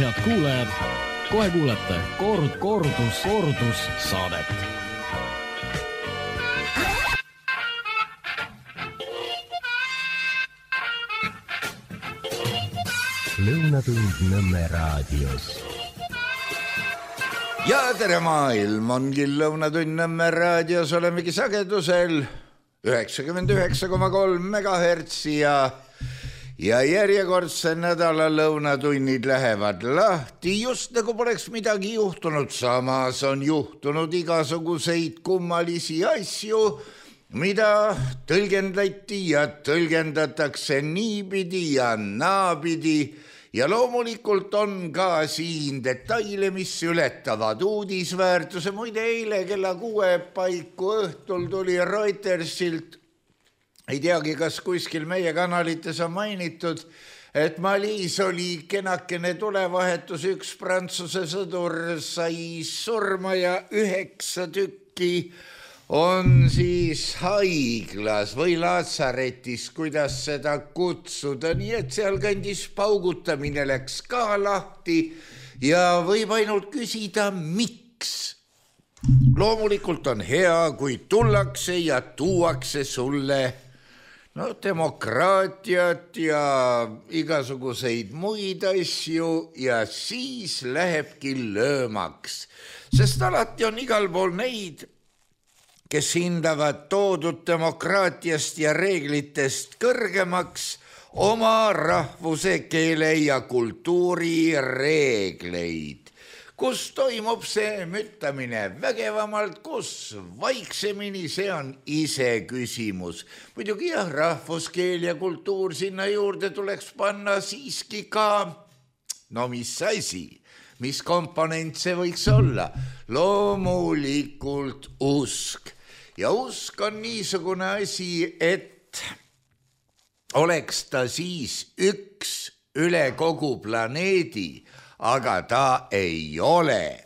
Head kuulajad, kohe kuulete kordus saadet. Lõunatund Nõmme raadios. Ja tere maailm, ongi Lõunatund Nõmme raadios, olemegi sagedusel 99,3 MHz ja järjekordse nädala lõunatunnid lähevad lahti, just nagu poleks midagi juhtunud. Samas on juhtunud igasuguseid kummalisi asju, mida tõlgendati ja tõlgendatakse niipidi ja naapidi. Ja loomulikult on ka siin detaile, mis ületavad uudisväärtuse. Muide, eile kella 6 paiku õhtul tuli Reutersilt, ei teagi, kas kuskil meie kanalites on mainitud, et Malis oli kenakene tulevahetus, üks Prantsuse sõdur sai surma ja 9 tükki on siis haiglas või laatsaretis, kuidas seda kutsuda, nii et seal kandis paugutamine läks ka lahti ja võib ainult küsida, miks. Loomulikult on hea, kui tullakse ja tuuakse sulle demokraatiat ja igasuguseid muid asju ja siis lähebki löömaks, sest alati on igal pool neid, kes hindavad toodud demokraatiast ja reeglitest kõrgemaks oma rahvuse, keele ja kultuuri reegleid. Kus toimub see müttamine vägevamalt, kus vaiksemini, see on ise küsimus. Muidugi jah, rahvuskeel ja kultuur sinna juurde tuleks panna siiski ka, no mis asi, mis komponent see võiks olla? Loomulikult usk. Ja usk on niisugune asi, et oleks ta siis üks üle kogu planeedi, aga ta ei ole.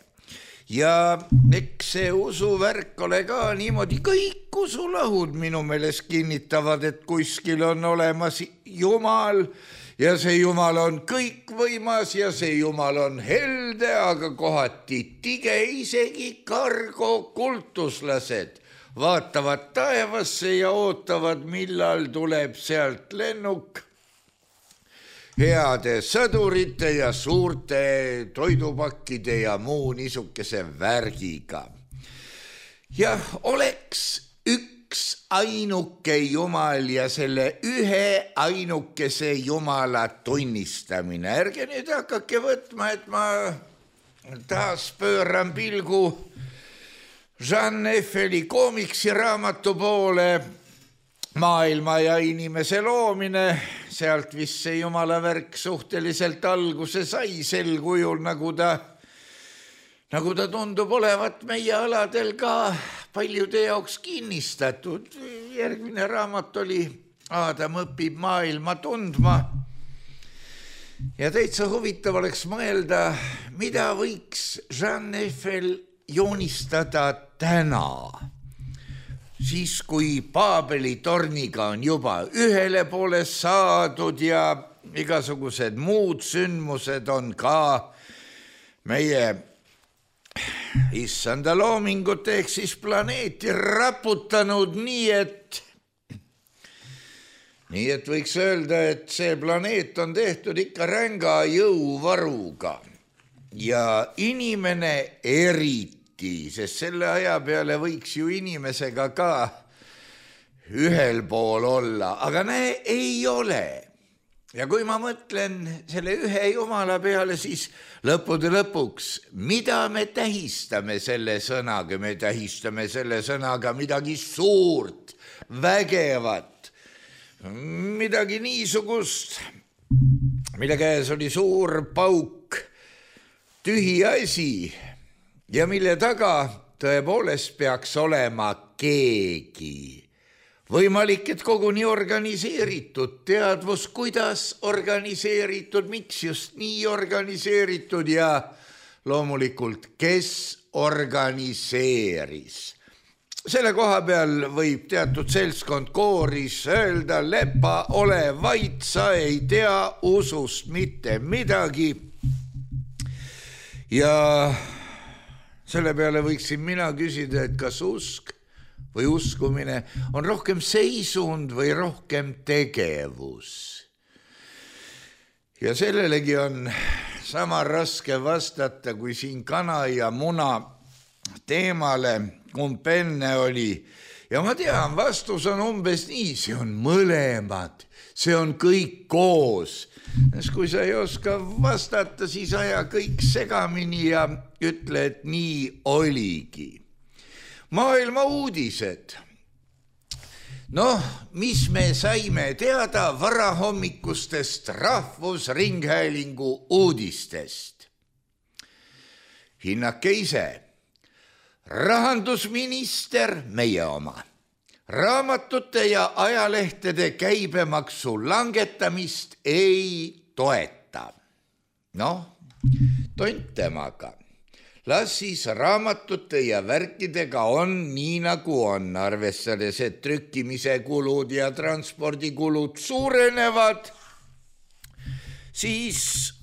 Ja eks see usuvärk ole ka niimoodi, kõik usulahud minu meelest kinnitavad, et kuskil on olemas Jumal ja see Jumal on kõikvõimas ja see Jumal on helde, aga kohati tige, isegi kargo kultuslased vaatavad taevasse ja ootavad, millal tuleb sealt lennuk heade sõdurite ja suurte toidupakkide ja muu niisuguse värgiga. Jah, oleks üks ainuke Jumal ja selle ühe ainukese Jumala tunnistamine. Ärge nüüd hakake võtma, et ma taas pööran pilgu Jean Eiffeli koomiksi raamatu poole, maailma ja inimese loomine, sealt vist see Jumala värk suhteliselt alguse sai sel kujul, nagu ta tundub olevat meie aladel ka paljude jaoks kinnistatud. Järgmine raamat oli Aadam õpib maailma tundma. Ja täitsa huvitav oleks mõelda, mida võiks Jean Eiffel joonistada täna, siis kui Paabeli torniga on juba ühele poole saadud ja igasugused muud sündmused on ka meie issanda loomingut ehk siis planeeti raputanud nii, et võiks öelda, et see planeet on tehtud ikka ränga jõuvaruga ja inimene eriti, sest selle aja peale võiks ju inimesega ka ühel pool olla, aga näe, ei ole. Ja kui ma mõtlen selle ühe Jumala peale, siis lõppude lõpuks, mida me tähistame selle sõnaga? Me tähistame selle sõnaga midagi suurt, vägevat, midagi niisugust, mille käes oli suur pauk, tühi asi, ja mille taga tõepoolest peaks olema keegi. Võimalik, et koguni organiseeritud, teadvus, kuidas organiseeritud, miks just nii organiseeritud ja loomulikult, kes organiseeris. Selle koha peal võib teatud seltskond kooris öelda, lepa, ole vait, sa ei tea usust mitte midagi. Ja selle peale võiksin mina küsida, et kas usk või uskumine on rohkem seisund või rohkem tegevus. Ja sellelegi on sama raske vastata, kui siin kana ja muna teemale, kumb enne oli. Ja ma tean, vastus on umbes nii, see on mõlemad, see on kõik koos. Kui sa ei oska vastata, siis aja kõik segamini ja ütle, et nii oligi. Maailma uudised. Mis me saime teada varahommikustest Rahvusringhäälingu uudistest? Hinnake ise. Rahandusminister, meie oma, raamatute ja ajalehtede käibemaksu langetamist ei toeta. Tont temaga. Las siis raamatute ja värkidega on nii nagu on, arvestades, et trükkimise kulud ja transpordikulud suurenevad, siis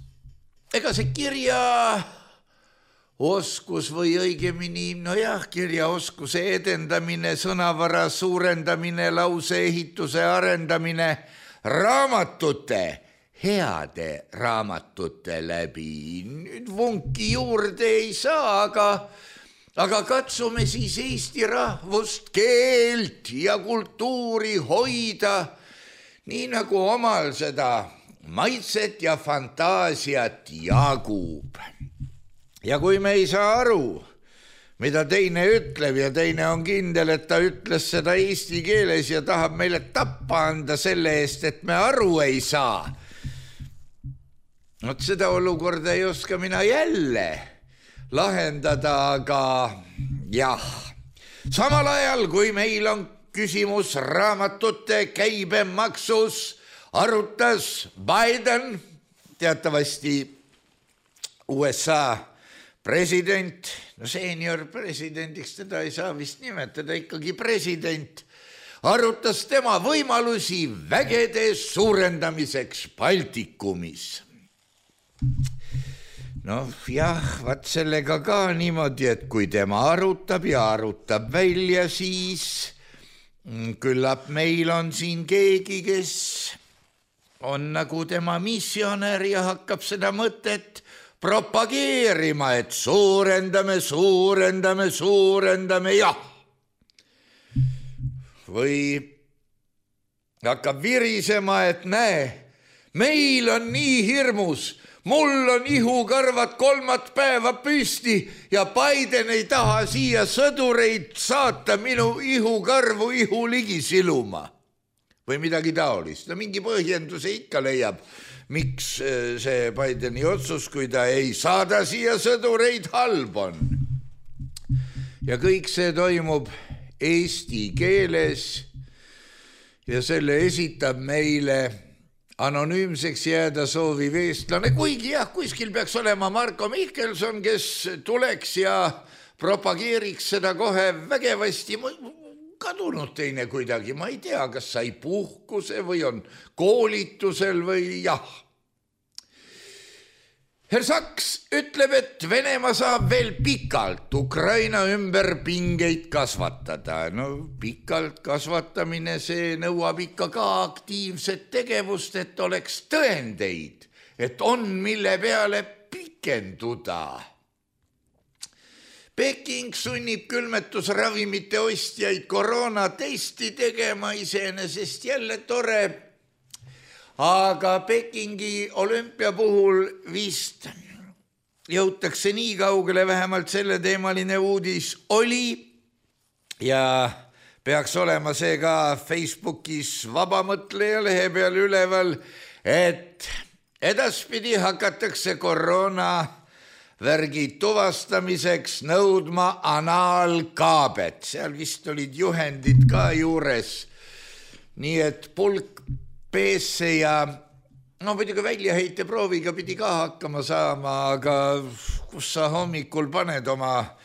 ega see kirjaoskus või õigemini, kirjaoskuse edendamine, sõnavara suurendamine, lauseehituse arendamine, raamatute, heade raamatute läbi. Nüüd vunki juurde ei saa, aga katsume siis eesti rahvust, keelt ja kultuuri hoida, nii nagu omal seda maitset ja fantaasiat jagub. Ja kui me ei saa aru, mida teine ütleb ja teine on kindel, et ta ütles seda eesti keeles ja tahab meile tappa anda selle eest, et me aru ei saa, seda olukorda ei oska mina jälle lahendada, aga jah. Samal ajal, kui meil on küsimus raamatute käibemaksus, arutas Biden, teatavasti USA president, senior presidendiks teda ei saa vist nimetada, ikkagi president, arutas tema võimalusi vägede suurendamiseks Baltikumis. Vaat sellega ka niimoodi, et kui tema arutab ja arutab välja, siis küllap meil on siin keegi, kes on nagu tema missionär ja hakkab seda mõtet propageerima, et suurendame, jah. Või hakkab virisema, et näe, meil on nii hirmus, mul on ihukarvad 3 päeva püsti ja Biden ei taha siia sõdureid saata minu ihukarvu ihuligi siluma. Või midagi taolist. Mingi põhjenduse ikka leiab, miks see Bideni otsus, kui ta ei saada siia sõdureid, halb on. Ja kõik see toimub eesti keeles ja selle esitab meile anonüümseks jääda sooviv eestlane, kuigi jah, kuskil peaks olema Marko Mihkelson, kes tuleks ja propageeriks seda kohe vägevasti. Kadunud teine kuidagi, ma ei tea, kas sai puhkuse või on koolitusel või jah. Herr Saks ütleb, et Venemaa saab veel pikalt Ukraina ümber pingeid kasvatada. Pikalt kasvatamine, see nõuab ikka ka aktiivset tegevust, et oleks tõendeid, et on mille peale pikenduda. Peking sunnib külmetusravimite ostjaid koroonatesti tegema, iseenesest jälle tore. Aga Pekingi olümpia puhul vist jõutakse nii kaugele, vähemalt selle teemaline uudis oli ja peaks olema see ka Facebookis Vabamõtleja lehe peal üleval, et edaspidi hakatakse koroonavärgi tuvastamiseks nõudma anaalkaabet. Seal vist olid juhendid ka juures, nii et pulk peesse ja muidugi väljaheiteprooviga pidi ka hakkama saama, aga kus sa hommikul paned oma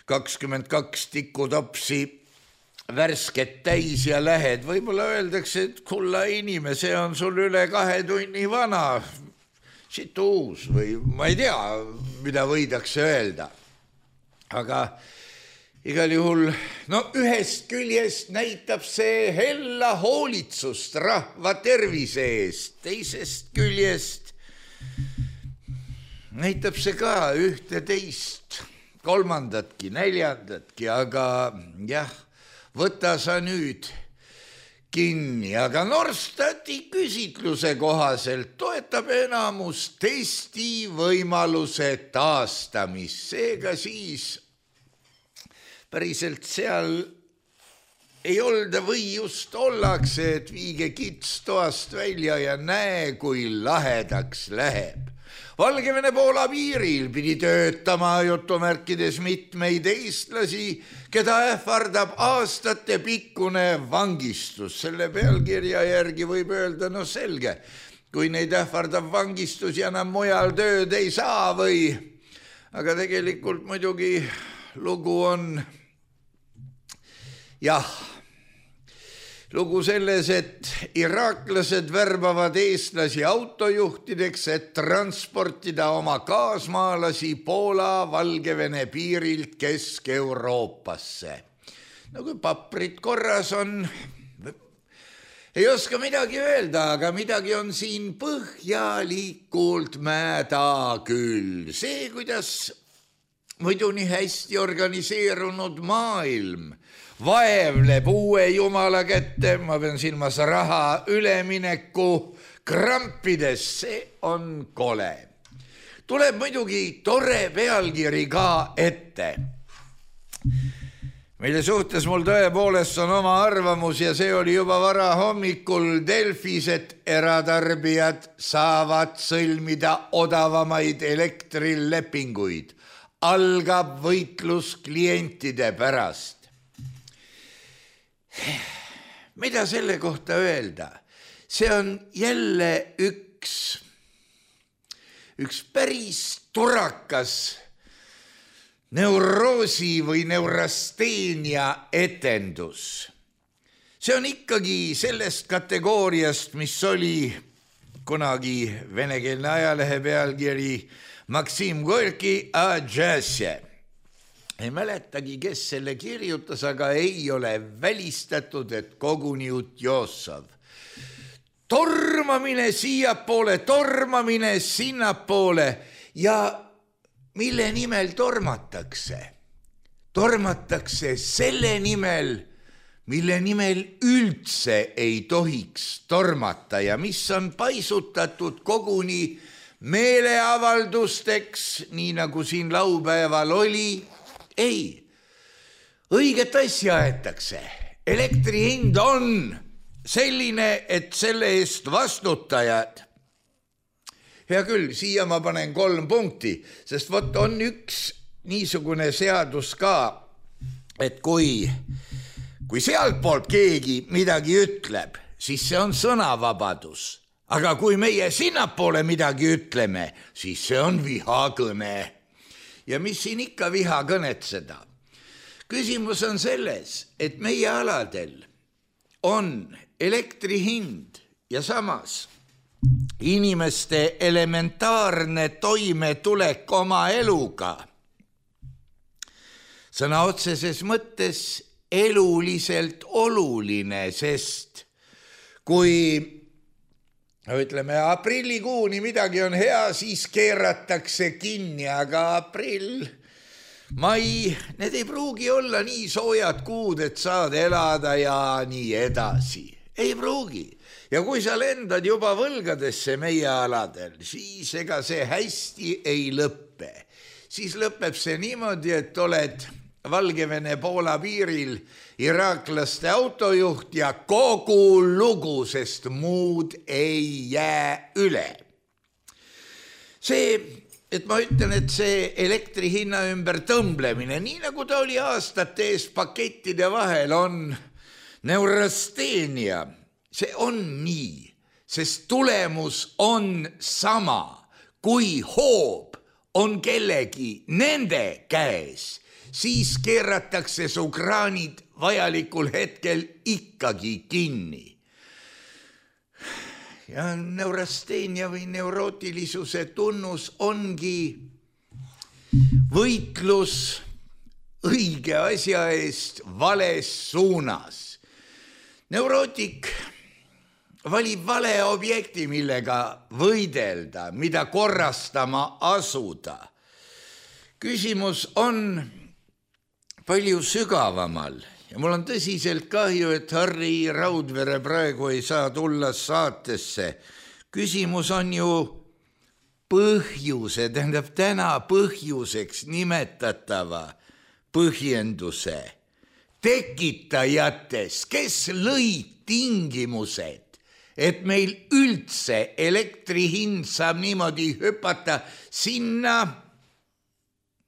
22 tikutopsi värsket täis ja lähed, võib-olla öeldakse, et kulla inimene, see on sul üle 2 tunni vana, situus või ma ei tea, mida võidakse öelda. Aga igal juhul, no ühest küljest näitab see hella hoolitsust rahva tervise eest, teisest küljest näitab see ka ühte teist, kolmandatki, neljandatki, aga jah, võta sa nüüd kinni, aga Norstati küsitluse kohaselt toetab enamus testi võimaluse taastamist, seega siis päriselt seal ei olda või just ollakse, et viige kits toast välja ja näe, kui lahedaks läheb. Valgevene-Poola piiril pidi töötama jutumärkides mitmeid eestlasi, keda ähvardab aastate pikkune vangistus. Selle pealkirja järgi võib öelda, no selge, kui neid ähvardab vangistus ja enam mujal tööd ei saa või. Aga tegelikult muidugi lugu on lugu selles, et iraaklased värbavad eestlasi autojuhtideks, et transportida oma kaasmaalasi Poola Valgevene piirilt Kesk-Euroopasse. No kui paprid korras on, ei oska midagi öelda, aga midagi on siin põhjalikult mäda küll. See, kuidas muidu nii hästi organiseerunud maailm vaevleb uue jumala kätte, ma pean silmas raha ülemineku krampides, see on kole. Tuleb muidugi tore pealkiri ka ette, mille suhtes mul tõepoolest on oma arvamus ja see oli juba vara hommikul Delfis, et eratarbijad saavad sõlmida odavamaid elektrilepinguid. Algab võitlus klientide pärast. Mida selle kohta öelda? See on jälle üks päris turakas neuroosi või neurasteenia etendus. See on ikkagi sellest kategooriast, mis oli kunagi venekeelne ajalehe pealkiri Maksim Gorki a džäsje. Ei mäletagi, kes selle kirjutas, aga ei ole välistatud, et koguni Utjossov. Tormamine siiapoole, tormamine sinnapoole ja mille nimel tormatakse? Tormatakse selle nimel, mille nimel üldse ei tohiks tormata ja mis on paisutatud koguni meeleavaldusteks, nii nagu siin laupäeval oli. Ei, õiget asja aetakse. Elektri hind on selline, et selle eest vastutajad. Hea küll, siia ma panen 3 punkti, sest võt on üks niisugune seadus ka, et kui sealtpoolt keegi midagi ütleb, siis see on sõnavabadus. Aga kui meie sinnapoole midagi ütleme, siis see on vihakõne. Ja mis siin ikka vihakõnetseda? Küsimus on selles, et meie aladel on elektri hind ja samas inimeste elementaarne toimetulek oma eluga. Sõna otseses mõttes eluliselt oluline, sest kui ütleme, aprillikuuni midagi on hea, siis keeratakse kinni, aga aprill, mai, need ei pruugi olla nii soojad kuud, et saad elada ja nii edasi. Ei pruugi. Ja kui sa lendad juba võlgadesse meie aladel, siis ega see hästi ei lõppe. Siis lõpeb see niimoodi, et oled Valgevene-Poola piiril iraaklaste autojuht ja kogu lugu, sest muud ei jää üle. See, et ma ütlen, et see elektri hinna ümber tõmblemine, nii nagu ta oli aastate eest pakettide vahel, on neurasteenia. See on nii, sest tulemus on sama, kui hoob on kellegi nende käes, siis keeratakse su kraanid vajalikul hetkel ikkagi kinni. ja neurasteenia või neurootilisuse tunnus ongi võitlus õige asja eest vales suunas. Neurootik valib vale objekti, millega võidelda, mida korrastama asuda. Küsimus on palju sügavamal ja mul on tõsiselt kahju, et Harri Raudvere praegu ei saa tulla saatesse. Küsimus on ju põhjuse, tähendab täna põhjuseks nimetatava põhjenduse tekitajates, kes lõid tingimused, et meil üldse elektri hind saab niimoodi hüpata sinna,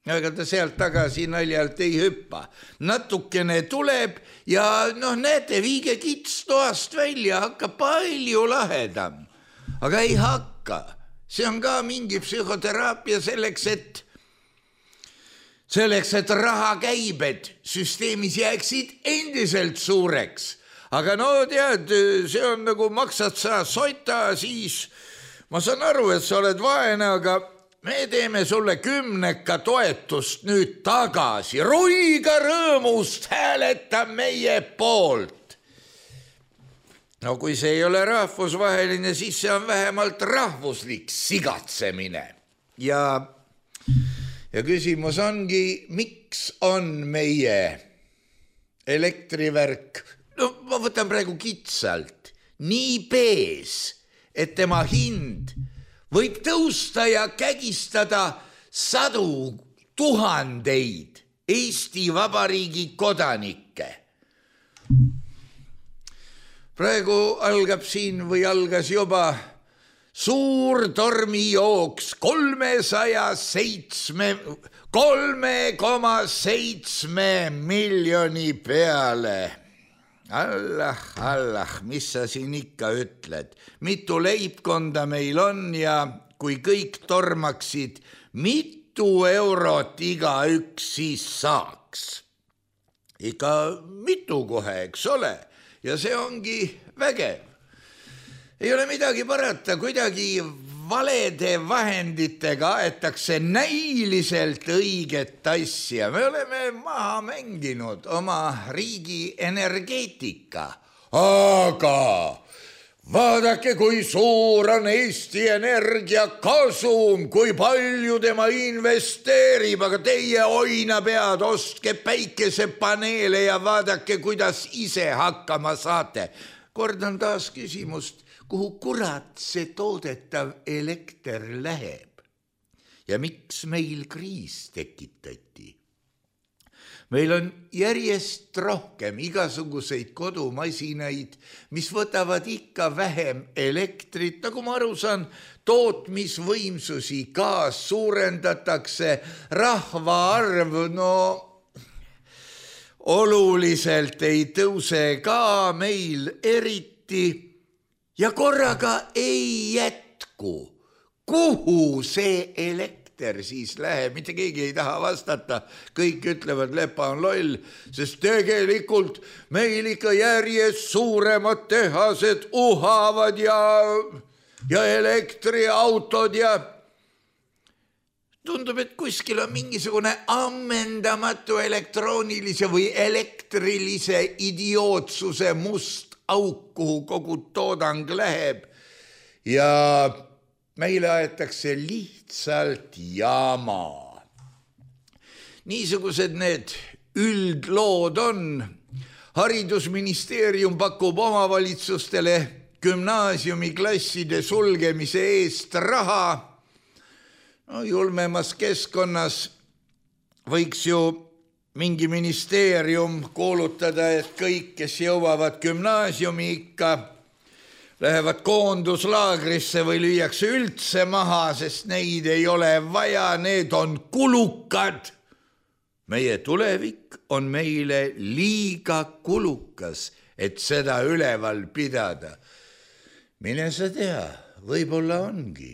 aga ta sealt tagasi naljalt ei hüppa. Natukene tuleb ja näete, viige kits toast välja, hakkab palju lahedam. Aga ei hakka. See on ka mingi psühhoteraapia selleks, et rahakäibed süsteemis jääksid endiselt suureks. Aga tead, see on nagu maksad sa soita, siis ma saan aru, et sa oled vaene, aga me teeme sulle 10 toetust nüüd tagasi. Ruiga rõõmust hääleta meie poolt. No kui see ei ole rahvusvaheline, siis see on vähemalt rahvuslik sigatsemine. Ja küsimus ongi, miks on meie elektrivärk, ma võtan praegu kitsalt, nii pees, et tema hind võib tõusta ja kägistada 100 000 Eesti Vabariigi kodanikke. Praegu algab siin või algas juba suur tormijooks 3,7 miljoni peale. Allah, mis sa siin ikka ütled? Mitu leibkonda meil on ja kui kõik tormaksid, mitu eurot igaüks siis saaks? Ikka mitu kohe, eks ole? Ja see ongi vägev. Ei ole midagi parata, kuidagi valede vahenditega aetakse näiliselt õiget asja. Me oleme maha mänginud oma riigi energeetika. Aga vaadake, kui suur on Eesti Energia kasum, kui palju tema investeerib, aga teie oina pead, ostke päikesepaneele ja vaadake, kuidas ise hakkama saate. Kordan taas küsimust, kuhu kurat see toodetav elekter läheb ja miks meil kriis tekitati. Meil on järjest rohkem igasuguseid kodumasinaid, mis võtavad ikka vähem elektrit, nagu ma aru saan, tootmisvõimsusi ka suurendatakse, rahvaarv oluliselt ei tõuse ka meil eriti ja korraga ei jätku. Kuhu see elekter siis läheb? Mitte keegi ei taha vastata. Kõik ütlevad, Lepa on loll, sest tegelikult meil ikka järjest suuremad tehased uhavad ja elektriautod ja tundub, et kuskil on mingisugune ammendamatu elektroonilise või elektrilise idiootsuse must auk, kuhu kogu toodang läheb ja meile aetakse lihtsalt jama. Niisugused need üldlood on. Haridusministeerium pakub omavalitsustele gümnaasiumiklasside sulgemise eest raha. Julmemas keskkonnas võiks ju mingi ministeerium kuulutada, et kõik, kes jõuavad gümnaasiumi ikka, lähevad koonduslaagrisse või lüüakse üldse maha, sest neid ei ole vaja, need on kulukad. Meie tulevik on meile liiga kulukas, et seda üleval pidada. Mine sa tea, võib-olla ongi.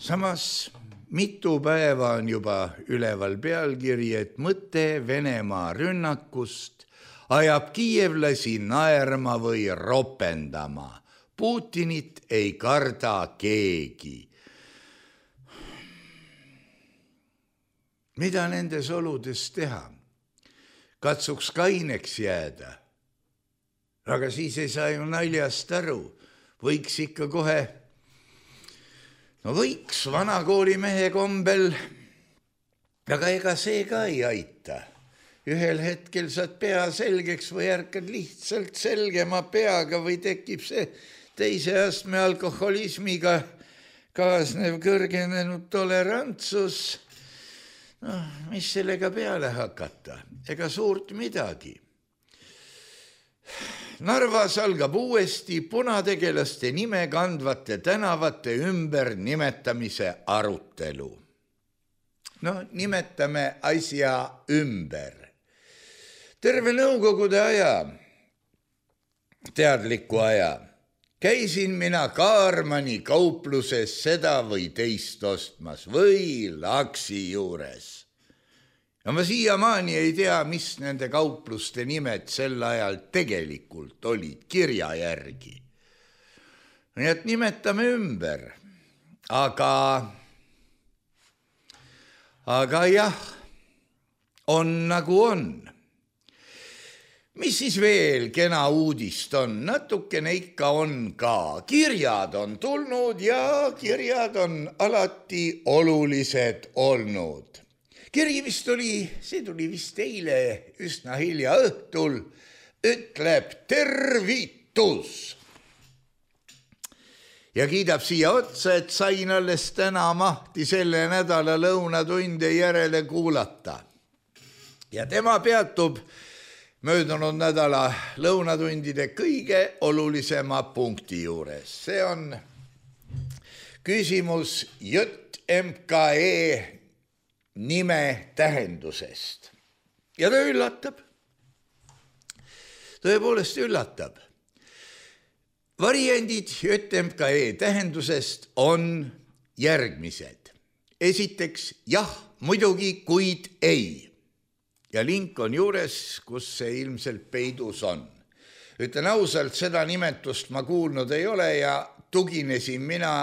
Samas mitu päeva on juba üleval pealkiri, et mõte Venemaa rünnakust ajab kiievlasi naerma või ropendama. Putinit ei karda keegi. Mida nendes oludes teha? Katsuks kaineks jääda. Aga siis ei saa ju naljast aru. Võiks ikka kohe, võiks vanakoolimehe kombel, aga ega see ka ei aita. Ühel hetkel saad pea selgeks või ärkad lihtsalt selgema peaga või tekib see teise astme alkoholismiga kaasnev kõrgenenud tolerantsus. Mis sellega peale hakata? Ega suurt midagi. Narvas algab uuesti punategelaste nime kandvate tänavate ümber nimetamise arutelu. Nimetame asja ümber. Terve nõukogude aja, teadliku aja, käisin mina Kaarmani kaupluses seda või teist ostmas või Laksi juures. Ja ma siiamaani ei tea, mis nende kaupluste nimed sel ajal tegelikult olid kirja järgi. Nii et nimetame ümber. Aga jah, on nagu on. Mis siis veel kena uudist on? Natukene ikka on ka. Kirjad on tulnud ja kirjad on alati olulised olnud. Kiri vist tuli vist eile üsna hilja õhtul, ütleb tervitus. Ja kiidab siia otsa, et sain alles täna mahti selle nädala lõunatunde järele kuulata. Ja tema peatub möödunud nädala lõunatundide kõige olulisema punkti juures. See on küsimus JMKE nime tähendusest. Ja ta üllatab. Tõepoolest üllatab. Variandid JMKE tähendusest on järgmised. Esiteks jah, muidugi, kuid ei. Ja link on juures, kus see ilmselt peidus on. Ütlen ausalt, seda nimetust ma kuulnud ei ole ja tuginesin mina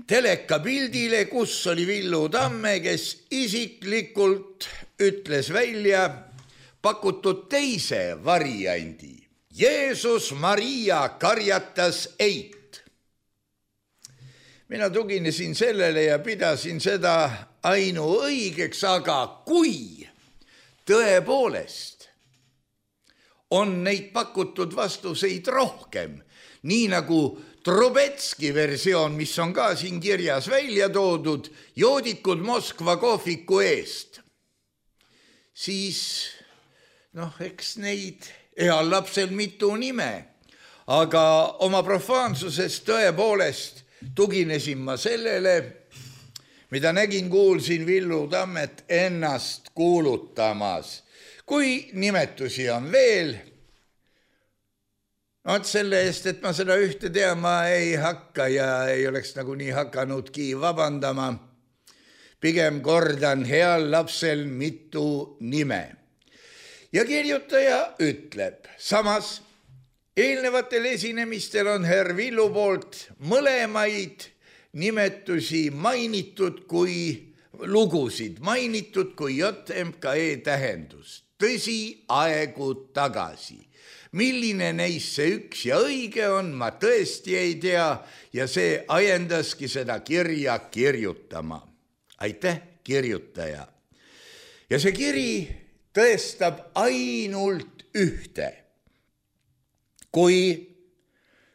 telekapildile, kus oli Villu Tamme, kes isiklikult ütles välja pakutud teise variandi. Jeesus Maria karjatas eit. Mina tuginesin sellele ja pidasin seda ainuõigeks, aga kui tõepoolest on neid pakutud vastuseid rohkem, nii nagu Trubetski versioon, mis on ka siin kirjas välja toodud, joodikud Moskva kohviku eest, siis eks neid heal lapsel mitu nime, aga oma profaansusest tõepoolest tuginesin ma sellele, mida nägin, kuulsin Villu Tammet ennast kuulutamas. Kui nimetusi on veel, selle eest, et ma seda ühte teama ei hakka ja ei oleks nagu nii hakanudki vabandama. Pigem kordan heal lapsel mitu nime. Ja kirjutaja ütleb, samas eelnevatel esinemistel on herr Villu poolt mõlemaid nimetusi mainitud kui lugusid, mainitud kui JMKE tähendust. Tõsi, aegu tagasi. Milline neist see üks ja õige on, ma tõesti ei tea ja see ajendaski seda kirja kirjutama. Aitäh, kirjutaja. Ja see kiri tõestab ainult ühte. Kui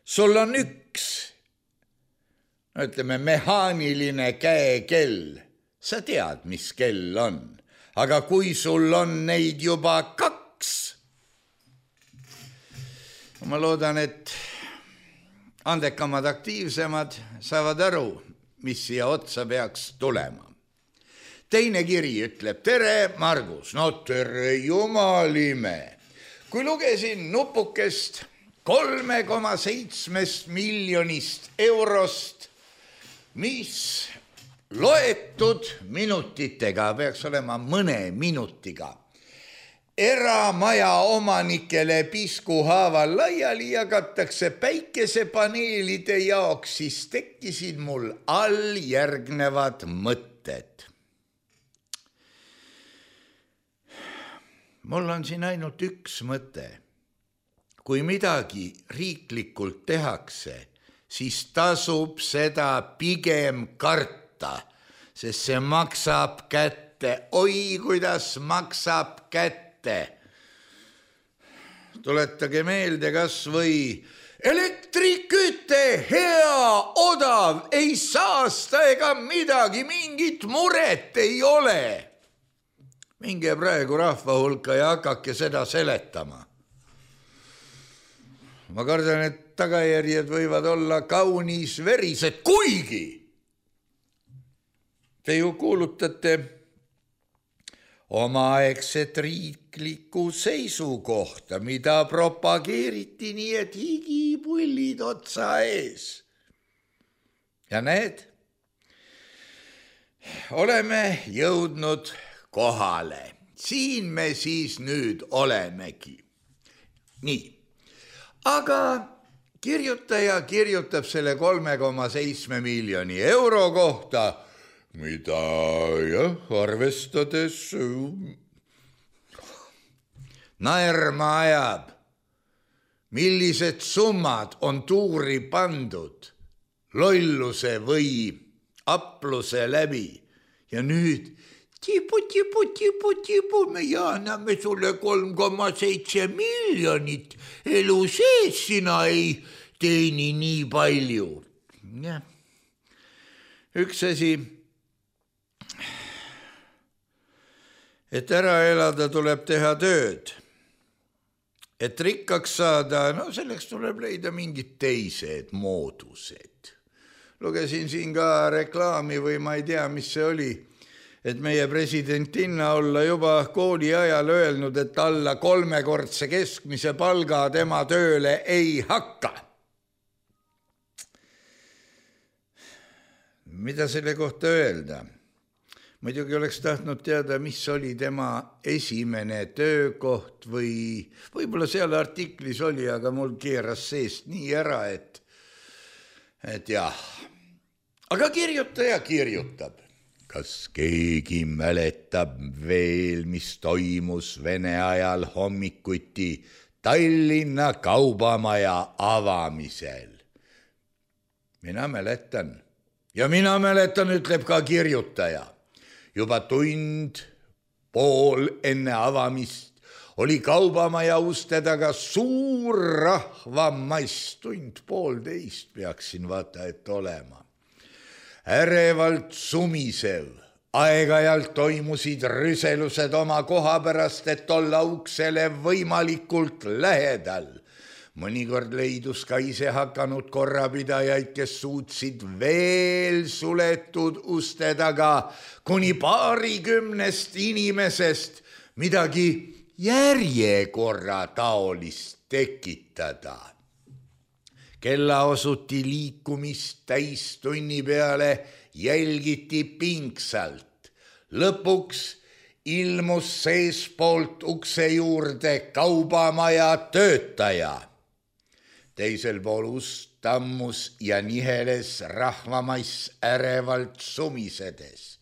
sul on üks mehaaniline käekell, sa tead, mis kell on. Aga kui sul on neid juba 2, ma loodan, et andekamad, aktiivsemad saavad aru, mis siia otsa peaks tulema. Teine kiri ütleb, tere, Margus. Tere, jumalime. Kui lugesin nupukest 3,7 miljonist eurost, mis loetud minutitega, peaks olema mõne minutiga, eramaja omanikele piskuhaaval laiali jagatakse päikesepaneelide jaoks, siis tekkisid mul alljärgnevad mõtted. Mul on siin ainult üks mõte. Kui midagi riiklikult tehakse, siis tasub seda pigem karta, sest see maksab kätte. Oi, kuidas maksab kätte. Tuletage meelde kas või elektriküte, hea, odav, ei saasta ega midagi, mingit muret ei ole. Minge praegu rahva hulka ja hakake seda seletama. Ma kardan, et tagajärjed võivad olla kaunis verised, kuigi te ju kuulutate omaaegset riiklikku seisukohta, mida propageeriti nii, et higipullid otsa ees. Ja need, oleme jõudnud kohale. Siin me siis nüüd olemegi. Nii. Aga kirjutaja kirjutab selle 3,7 miljoni euro kohta, mida arvestades naerma ajab. Millised summad on tuuri pandud lolluse või apluse läbi ja nüüd tipu, me anname sulle 3,7 miljonit, elu sees sina ei teeni nii palju. Ja. Üks asi, et ära elada tuleb teha tööd. Et rikkaks saada, no selleks tuleb leida mingid teised moodused. Lugesin siin ka reklaami või ma ei tea, mis see oli, et meie presidentinna olla juba kooli ajal öelnud, et alla 3-kordse keskmise palga tema tööle ei hakka. Mida selle kohta öelda? Muidugi oleks tahtnud teada, mis oli tema esimene töökoht või võib-olla seal artiklis oli, aga mul keeras seest nii ära, et jah. Aga kirjutaja kirjutab. Kas keegi mäletab veel, mis toimus Vene ajal hommikuti Tallinna kaubamaja avamisel? Mina mäletan. Ja mina mäletan, ütleb ka kirjutaja. Juba tund pool enne avamist oli kaubamaja uste taga suur rahvamass, 1:30 peaksin vaata, et olema. Ärevalt sumisev, aeg-ajalt toimusid rüselused oma koha pärast, et olla uksele võimalikult lähedal. Mõnikord leidus ka ise hakanud korrapidajaid, kes suutsid veel suletud uste taga kuni 20 inimesest midagi järjekorra taolist tekitada. Kella osuti liikumist täistunni peale, jälgiti pingsalt. Lõpuks ilmus seespoolt ukse juurde kaubamaja töötaja. Teisel pool ust tammus ja niheles rahvamass ärevalt sumisedes.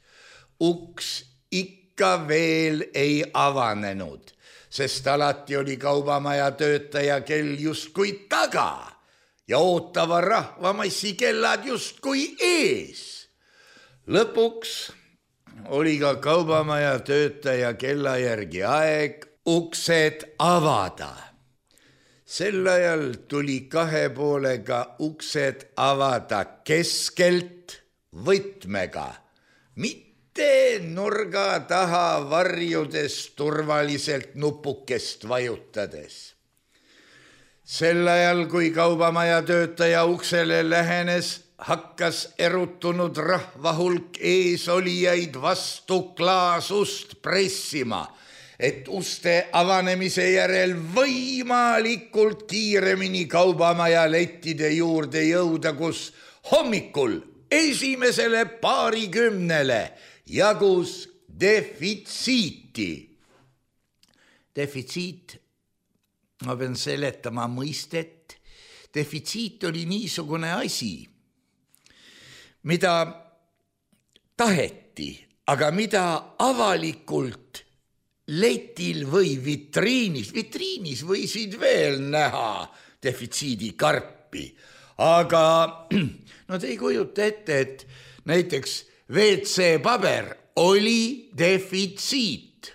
Uks ikka veel ei avanenud, sest alati oli kaubamaja töötaja kell justkui taga ja ootava rahvamassi kellad justkui ees. Lõpuks oli ka kaubamaja töötaja kella järgi aeg uksed avada. Sel ajal tuli 2 poolega uksed avada keskelt võtmega, mitte nurga taha varjudes turvaliselt nupukest vajutades. Sel ajal, kui kaubamaja töötaja uksele lähenes, hakkas erutunud rahvahulk eesolijaid vastu klaasust pressima, et uste avanemise järel võimalikult kiiremini kaubamaja lettide juurde jõuda, kus hommikul esimesele 20 jagus defitsiiti. defitsiit, ma pean seletama mõistet, defitsiit oli niisugune asi, mida taheti, aga mida avalikult letil või vitriinis võisid veel näha defitsiidi karpi, aga nad ei kujuta ette, et näiteks WC-paber oli defitsiit.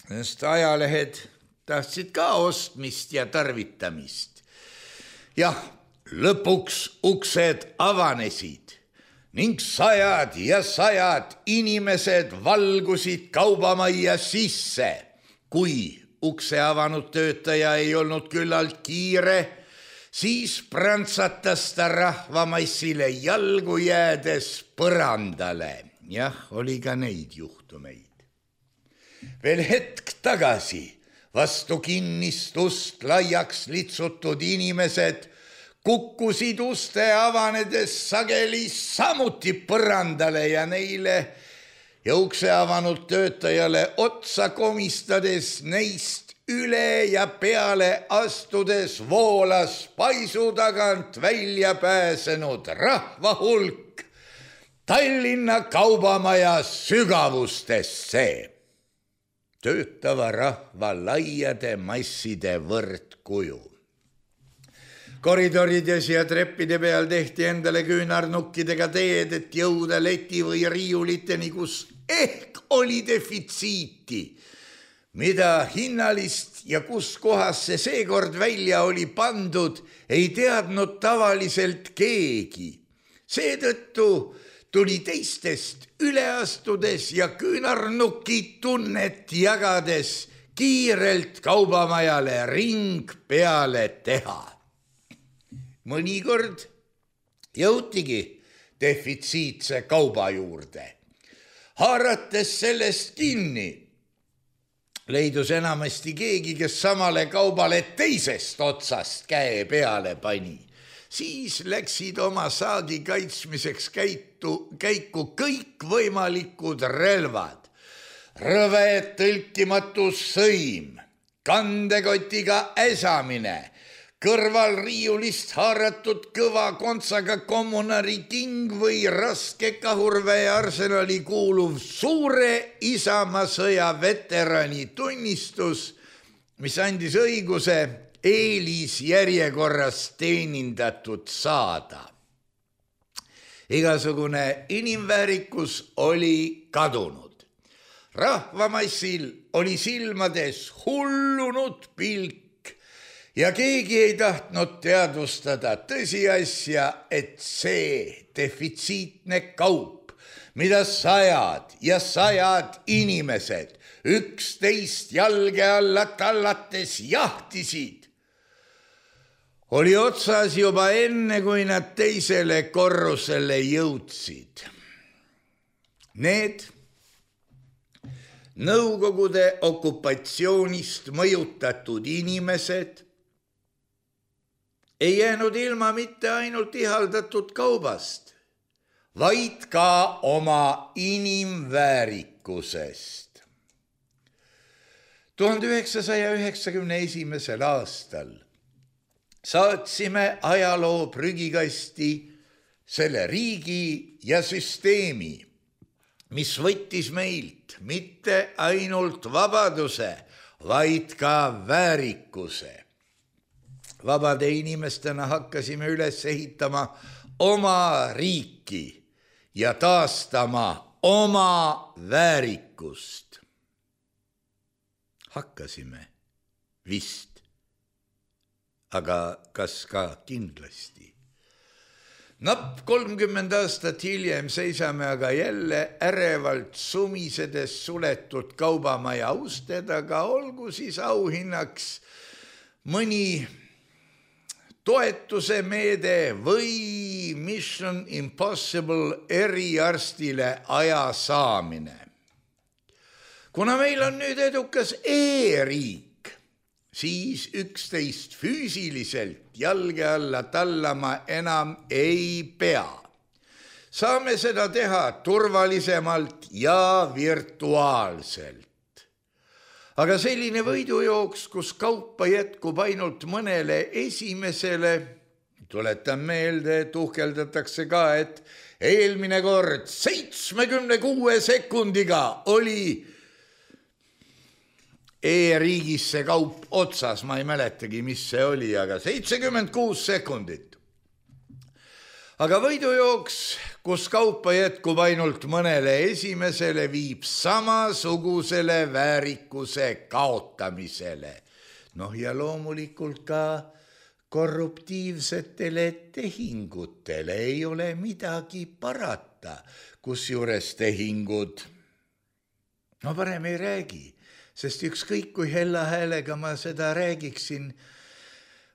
Sest ajalehed tahtsid ka ostmist ja tarvitamist. Jah, lõpuks uksed avanesid ning sajad ja sajad inimesed valgusid kaubamajja sisse. Kui ukse avanud töötaja ei olnud küllalt kiire, siis prantsatas ta rahvamassile jalgu jäädes põrandale. Jah, oli ka neid juhtumeid. Veel hetk tagasi vastu kinnist ust laiaks litsutud inimesed kukkusid uste avanedes sageli samuti põrandale ja neile ja ukse avanud töötajale otsa komistades neist üle ja peale astudes voolas paisu tagant välja pääsenud rahva hulk Tallinna kaubamaja sügavustesse. Töötava rahva laiade masside võrdkuju. Koridorides ja treppide peal tehti endale küünarnukkidega teed, et jõuda leti või riiuliteni, kus ehk oli defitsiiti, mida hinnalist ja kus kohas see seekord välja oli pandud, ei teadnud tavaliselt keegi. Seetõttu tuli teistest üle astudes ja küünarnuki tunnet jagades kiirelt kaubamajale ring peale teha. Mõnikord jõutigi defitsiitse kauba juurde. Haarates sellest kinni, leidus enamasti keegi, kes samale kaubale teisest otsast käe peale pani. Siis läksid oma saagi kaitsmiseks käiku kõik võimalikud relvad. Rõve tõlkimatu sõim, kandekotiga äsamine, kõrval riiulist haaratud kõva kontsaga kommunari king või raske kahurväe arsenali kuuluv suure Isamaasõja veterani tunnistus, mis andis õiguse eelisjärjekorras teenindatud saada. Igasugune inimväärikus oli kadunud. Rahvamassil oli silmades hullunud pilk ja keegi ei tahtnud teadvustada tõsiasja, et see defitsiitne kaup, mida sajad ja sajad inimesed üksteist jalge alla tallates jahtisid, oli otsas juba enne, kui nad teisele korrusele jõudsid. Need Nõukogude okupatsioonist mõjutatud inimesed ei jäänud ilma mitte ainult ihaldatud kaubast, vaid ka oma inimväärikusest. 1991. aastal saatsime ajaloo prügikasti selle riigi ja süsteemi, mis võttis meilt mitte ainult vabaduse, vaid ka väärikuse. Vabade inimestena hakkasime üles ehitama oma riiki ja taastama oma väärikust. Hakkasime vist. Aga kas ka kindlasti? Napp 30 aastat hiljem seisame aga jälle ärevalt sumisedes suletud kaubamaja uste taga, olgu siis auhinnaks mõni toetuse meede või Mission Impossible eriarstile aja saamine. Kuna meil on nüüd edukas e-riik, siis üksteist füüsiliselt jalge alla tallama enam ei pea. Saame seda teha turvalisemalt ja virtuaalselt. aga selline võidujooks, kus kaupa jätkub ainult mõnele esimesele, tuletan meelde, et uhkeldatakse ka, et eelmine kord 76 sekundiga oli e-riigis see kaup otsas, ma ei mäletagi, mis see oli, aga 76 sekundit. Aga võidujooks, kus kaupa jätkub ainult mõnele esimesele, viib samasugusele väärikuse kaotamisele. Ja loomulikult ka korruptiivsetele tehingutele ei ole midagi parata, kusjuures tehingud, parem ei räägi, sest ükskõik kui hella häälega ma seda räägiksin,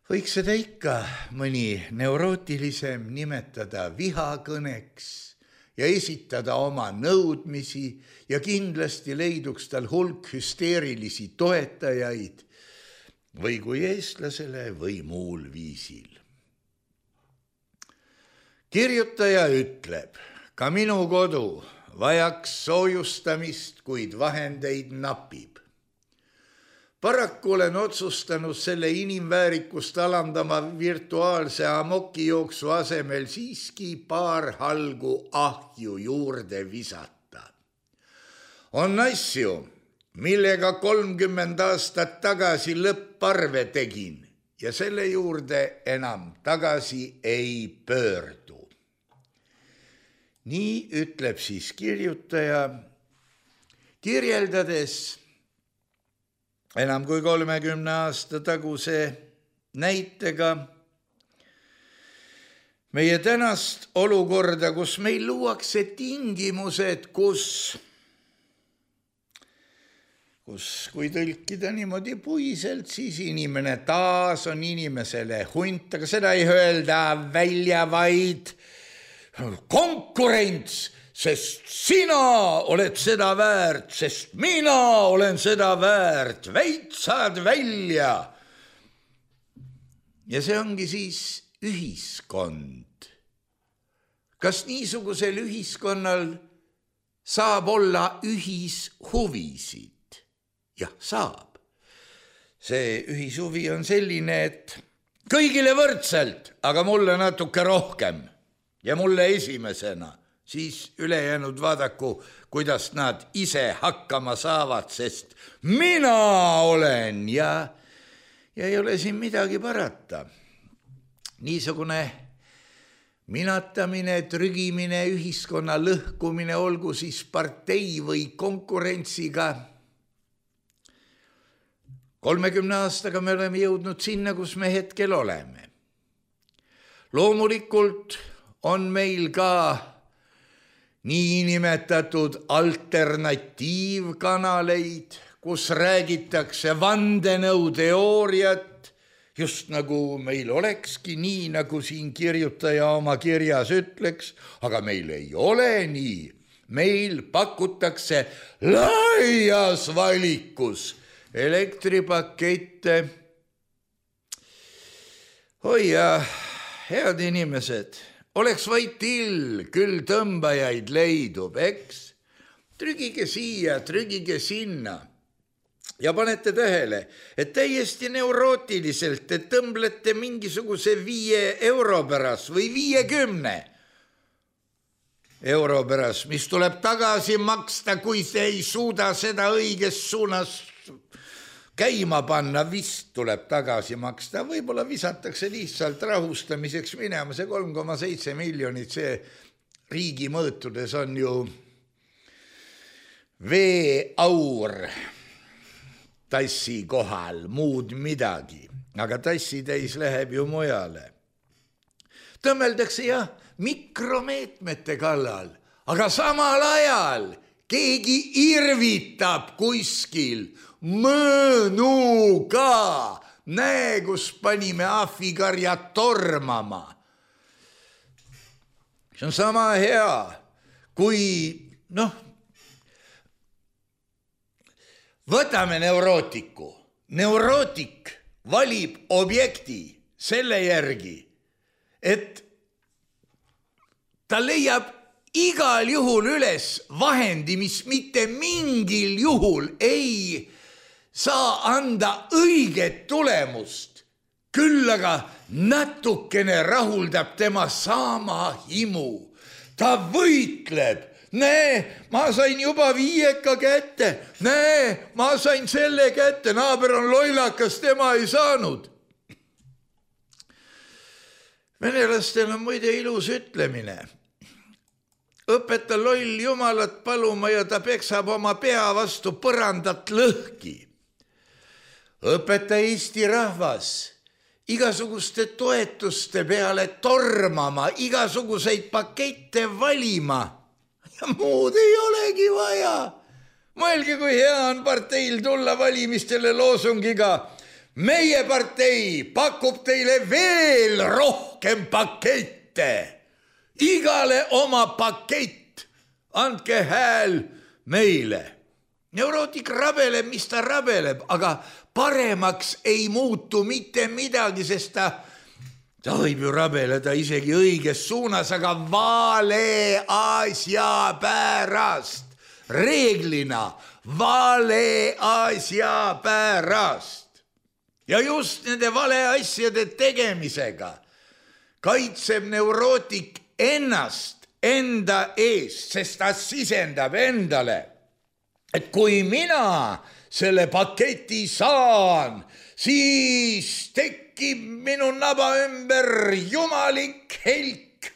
võiks seda ikka mõni neurootilisem nimetada vihakõneks ja esitada oma nõudmisi ja kindlasti leiduks tal hulk hüsteerilisi toetajaid või kui eestlasele või muul viisil. Kirjutaja ütleb, ka minu kodu vajaks soojustamist, kuid vahendeid napib. Paraku olen otsustanud selle inimväärikust alandama virtuaalse amokijooksu asemel siiski paar halgu ahju juurde visata. On asju, millega 30 aastat tagasi lõpparve tegin ja selle juurde enam tagasi ei pöördu. Nii ütleb siis kirjutaja, kirjeldades enam kui 30 aasta taguse näitega meie tänast olukorda, kus meil luuakse tingimused, kus kui tõlkida niimoodi puiselt, siis inimene taas on inimesele hunt, aga seda ei öelda välja, vaid konkurents, sest sina oled seda väärt, sest mina olen seda väärt, veitsad välja. Ja see ongi siis ühiskond. Kas niisugusel ühiskonnal saab olla ühishuvisid? Jah, saab. See ühishuvi on selline, et kõigile võrdselt, aga mulle natuke rohkem ja mulle esimesena. Siis ülejäänud vaadaku, kuidas nad ise hakkama saavad, sest mina olen ja ei ole siin midagi parata. Niisugune minatamine, trügimine, ühiskonna lõhkumine, olgu siis partei või konkurentsiga. 30 aastaga me oleme jõudnud sinna, kus me hetkel oleme. Loomulikult on meil ka niinimetatud alternatiivkanaleid, kus räägitakse vandenõuteooriat, just nagu meil olekski nii, nagu siin kirjutaja oma kirjas ütleks, aga meil ei ole nii. Meil pakutakse laias valikus elektripakette. Oi ja head inimesed, oleks vaid till, küll tõmbajaid leidub, eks? Trügige siia, trügige sinna. Ja panete tähele, et täiesti neurootiliselt te tõmblete mingisuguse 5 euro pärast või 50 euro pärast, mis tuleb tagasi maksta, kui te ei suuda seda õiges suunas käima panna, vist tuleb tagasi maksta. Võib-olla visatakse lihtsalt rahustamiseks minema. See 3,7 miljonit, see riigi mõõtudes on ju veeaur tassi kohal, muud midagi. Aga tassitäis läheb ju mujale. Tõmmeldakse jah mikromeetmete kallal, aga samal ajal keegi irvitab kuskil mõõnuga. Näe, kus panime ahvikarjad tormama. See on sama hea, kui võtame neurootiku. Neurootik valib objekti selle järgi, et ta leiab igal juhul üles vahendi, mis mitte mingil juhul ei saa anda õiget tulemust, küll aga natukene rahuldab tema saama himu. Ta võitleb, näe, ma sain juba 5 kätte, näe, ma sain selle kätte, naaber on lollakas, tema ei saanud. Venelastel on muide ilus ütlemine. Õpeta loll jumalat paluma ja ta peksab oma pea vastu põrandat lõhki. Õpeta Eesti rahvas igasuguste toetuste peale tormama, igasuguseid pakette valima ja muud ei olegi vaja. Mõelge, kui hea on parteil tulla valimistele loosungiga. Meie partei pakub teile veel rohkem pakette. Igale oma pakett. Andke hääl meile. Neurootik rabeleb, mis ta rabeleb, aga paremaks ei muutu mitte midagi, sest ta võib ju rabeleda isegi õiges suunas, aga vale asja pärast. Reeglina vale asja pärast. Ja just nende vale asjade tegemisega kaitseb neurootik ennast enda eest, sest ta sisendab endale, et kui mina selle paketi saan, siis tekib minu naba ümber jumalik helk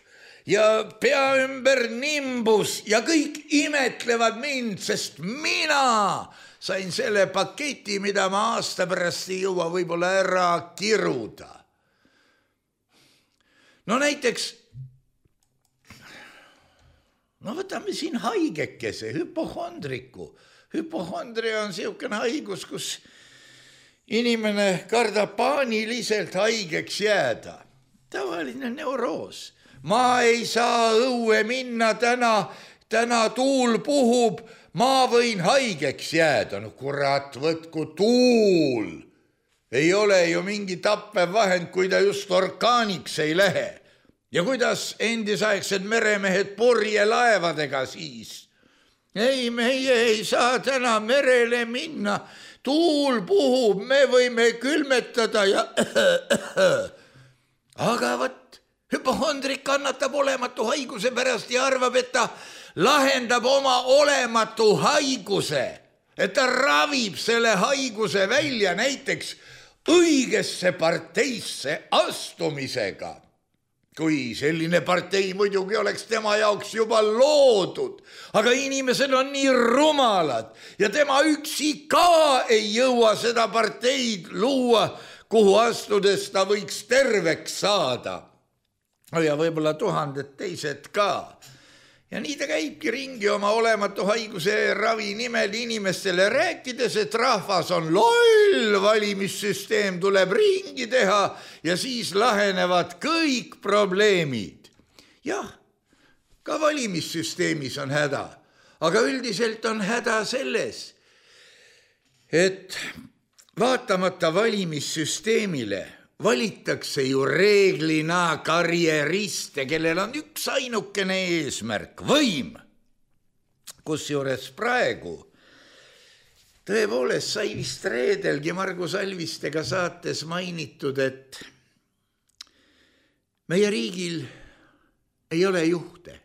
ja pea ümber nimbus ja kõik imetlevad mind, sest mina sain selle paketi, mida ma aasta pärast ei jõua võib-olla ära kiruda. No näiteks, võtame siin haigekese, hüpohondriku. Hüpohondria on siukene haigus, kus inimene kardab paaniliselt haigeks jääda. Tavaline neuroos. Ma ei saa õue minna täna tuul puhub, ma võin haigeks jääda. No kurat, võtku tuul. Ei ole ju mingi tappev vahend, kui ta just orkaaniks ei lähe. Ja kuidas endisaegsed meremehed purjelaevadega siis? Ei, meie ei saa täna merele minna. Tuul puhub, me võime külmetada ja... Aga võt, hüpohondrik kannatab olematu haiguse pärast ja arvab, et ta lahendab oma olematu haiguse. Et ta ravib selle haiguse välja näiteks õigesse parteisse astumisega. Kui selline partei muidugi oleks tema jaoks juba loodud, aga inimesed on nii rumalad ja tema üksi ka ei jõua seda parteid luua, kuhu astudes ta võiks terveks saada. Ja võib-olla 1000 teised ka. Ja nii ta käibki ringi oma olematu haiguse ravi nimel inimestele rääkides, et rahvas on loll, valimissüsteem tuleb ringi teha ja siis lahenevad kõik probleemid. Jah, ka valimissüsteemis on häda, aga üldiselt on häda selles, et vaatamata valimissüsteemile valitakse ju reeglina karjeriste, kellel on üks ainukene eesmärk, võim. Kusjuures praegu tõepoolest sai vist reedelgi Margus Alvistega saates mainitud, et meie riigil ei ole juhte.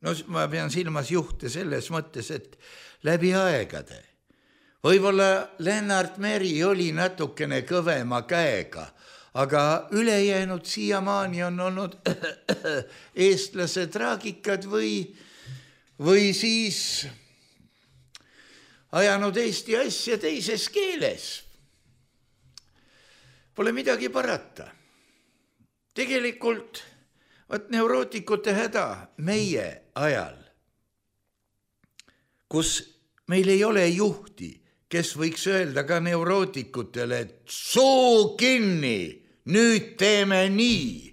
No ma pean silmas juhte selles mõttes, et läbi aegade. Võib-olla Lennart Meri oli natukene kõvema käega, aga ülejäänud siiamaani on olnud eestlase traagikad või siis ajanud Eesti asja teises keeles. Pole midagi parata. Tegelikult neurootikute häda meie ajal, kus meil ei ole juhti, kes võiks öelda ka neurootikutele, et suu kinni, nüüd teeme nii.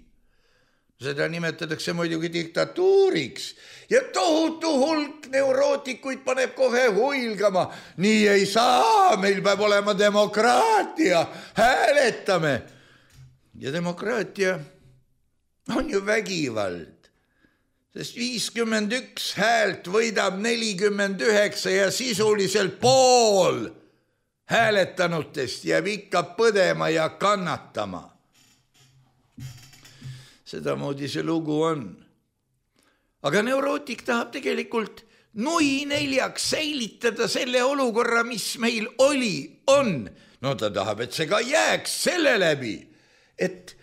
Seda nimetatakse muidugi diktatuuriks ja tohutu hulk neurootikuid paneb kohe huilgama. Nii ei saa, meil peab olema demokraatia, hääletame. Ja demokraatia on ju vägivald. sest 51 häält võidab 49 ja sisuliselt pool hääletanutest jääb ikka põdema ja kannatama. Sedamoodi see lugu on. Aga neurootik tahab tegelikult nui neljaks säilitada selle olukorra, mis meil on. No ta tahab, et see ka jääks selle läbi, et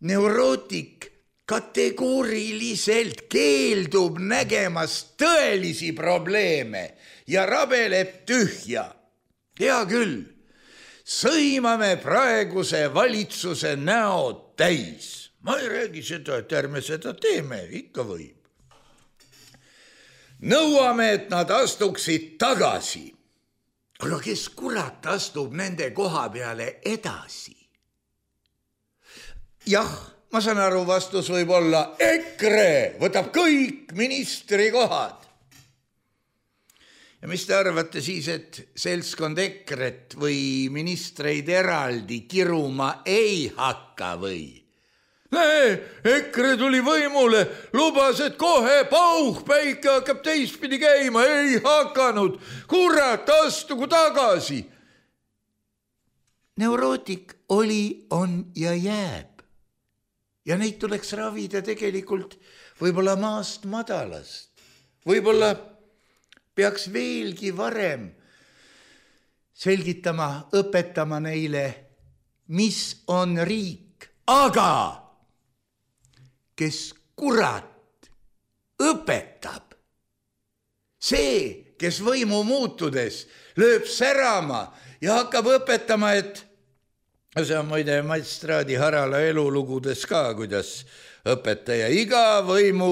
neurootik kategooriliselt keeldub nägemas tõelisi probleeme ja rabeleb tühja. Hea küll, sõimame praeguse valitsuse näod täis. Ma ei räägi seda, et ärme seda teeme, ikka võib. Nõuame, et nad astuksid tagasi. Aga kes kurat astub nende koha peale edasi? Jah, ma saan aru, vastus võib olla EKRE võtab kõik ministri kohad. Ja mis te arvate siis, et seltskond EKRE-t või ministreid eraldi kiruma ei hakka või? EKRE tuli võimule, lubas, et kohe pauhpäike hakkab teistpidi käima, ei hakanud. Kurat, astugu tagasi. Neurootik oli, on ja jääb. Ja neid tuleks ravida tegelikult võib-olla maast madalast. Võib-olla peaks veelgi varem selgitama, õpetama neile, mis on riik. Aga kes kurat õpetab, see, kes võimu muutudes lööb särama ja hakkab õpetama, et see on muide Magistraadi Harala elulugudes ka, kuidas õpetaja iga võimu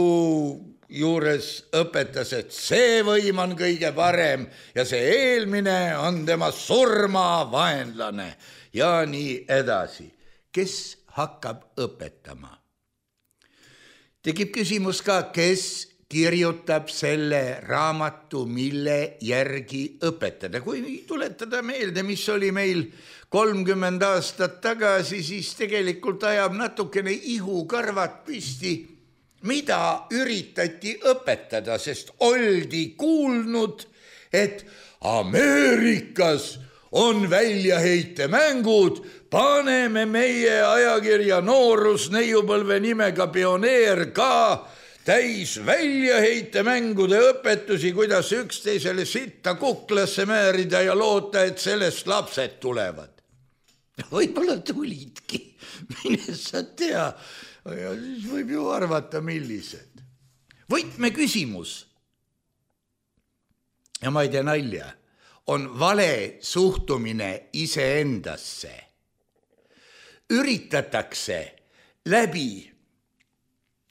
juures õpetas, et see võim on kõige parem ja see eelmine on tema surmavaenlane ja nii edasi. Kes hakkab õpetama? Tekib küsimus ka, kes kirjutab selle raamatu, mille järgi õpetada. Kui tuletada meelde, mis oli meil 30 aastat tagasi, siis tegelikult ajab natukene ihukarvad püsti, mida üritati õpetada, sest oldi kuulnud, et Ameerikas on väljaheitemängud, paneme meie ajakirja Noorus neiupõlve nimega Pioneer ka täis väljaheite-mängude õpetusi, kuidas üksteisele sitta kuklasse määrida ja loota, et sellest lapsed tulevad. Võib-olla tulidki, mine sa tea, ja siis võib ju arvata, millised. Võtmeküsimus, ja ma ei tea nalja, on vale suhtumine iseendasse. Üritatakse läbi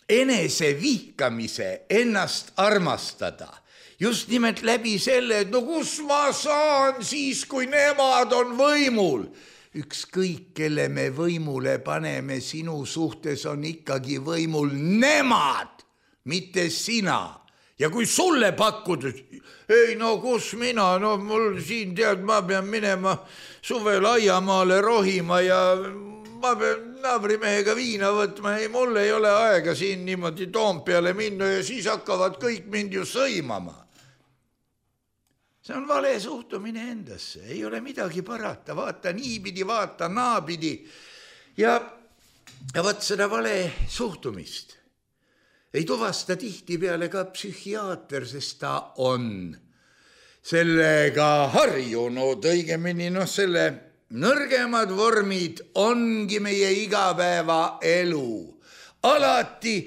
enese vihkamise ennast armastada. Just nimelt läbi selle, et no kus ma saan siis, kui nemad on võimul. Ükskõik, kelle me võimule paneme, sinu suhtes on ikkagi võimul nemad, mitte sina. Ja kui sulle pakkud, ei no kus mina, no mul siin tead, ma pean minema suvel aiamaale rohima ja ma pean naabrimehega viina võtma, ei, mul ei ole aega siin niimoodi Toompeale minna ja siis hakkavad kõik mind ju sõimama. See on vale suhtumine endasse, ei ole midagi parata, vaata niipidi, vaata naapidi ja vaat seda vale suhtumist ei tuvasta tihtipeale ka psühhiaater, sest ta on sellega harjunud, õigemini selle nõrgemad vormid ongi meie igapäeva elu. Alati,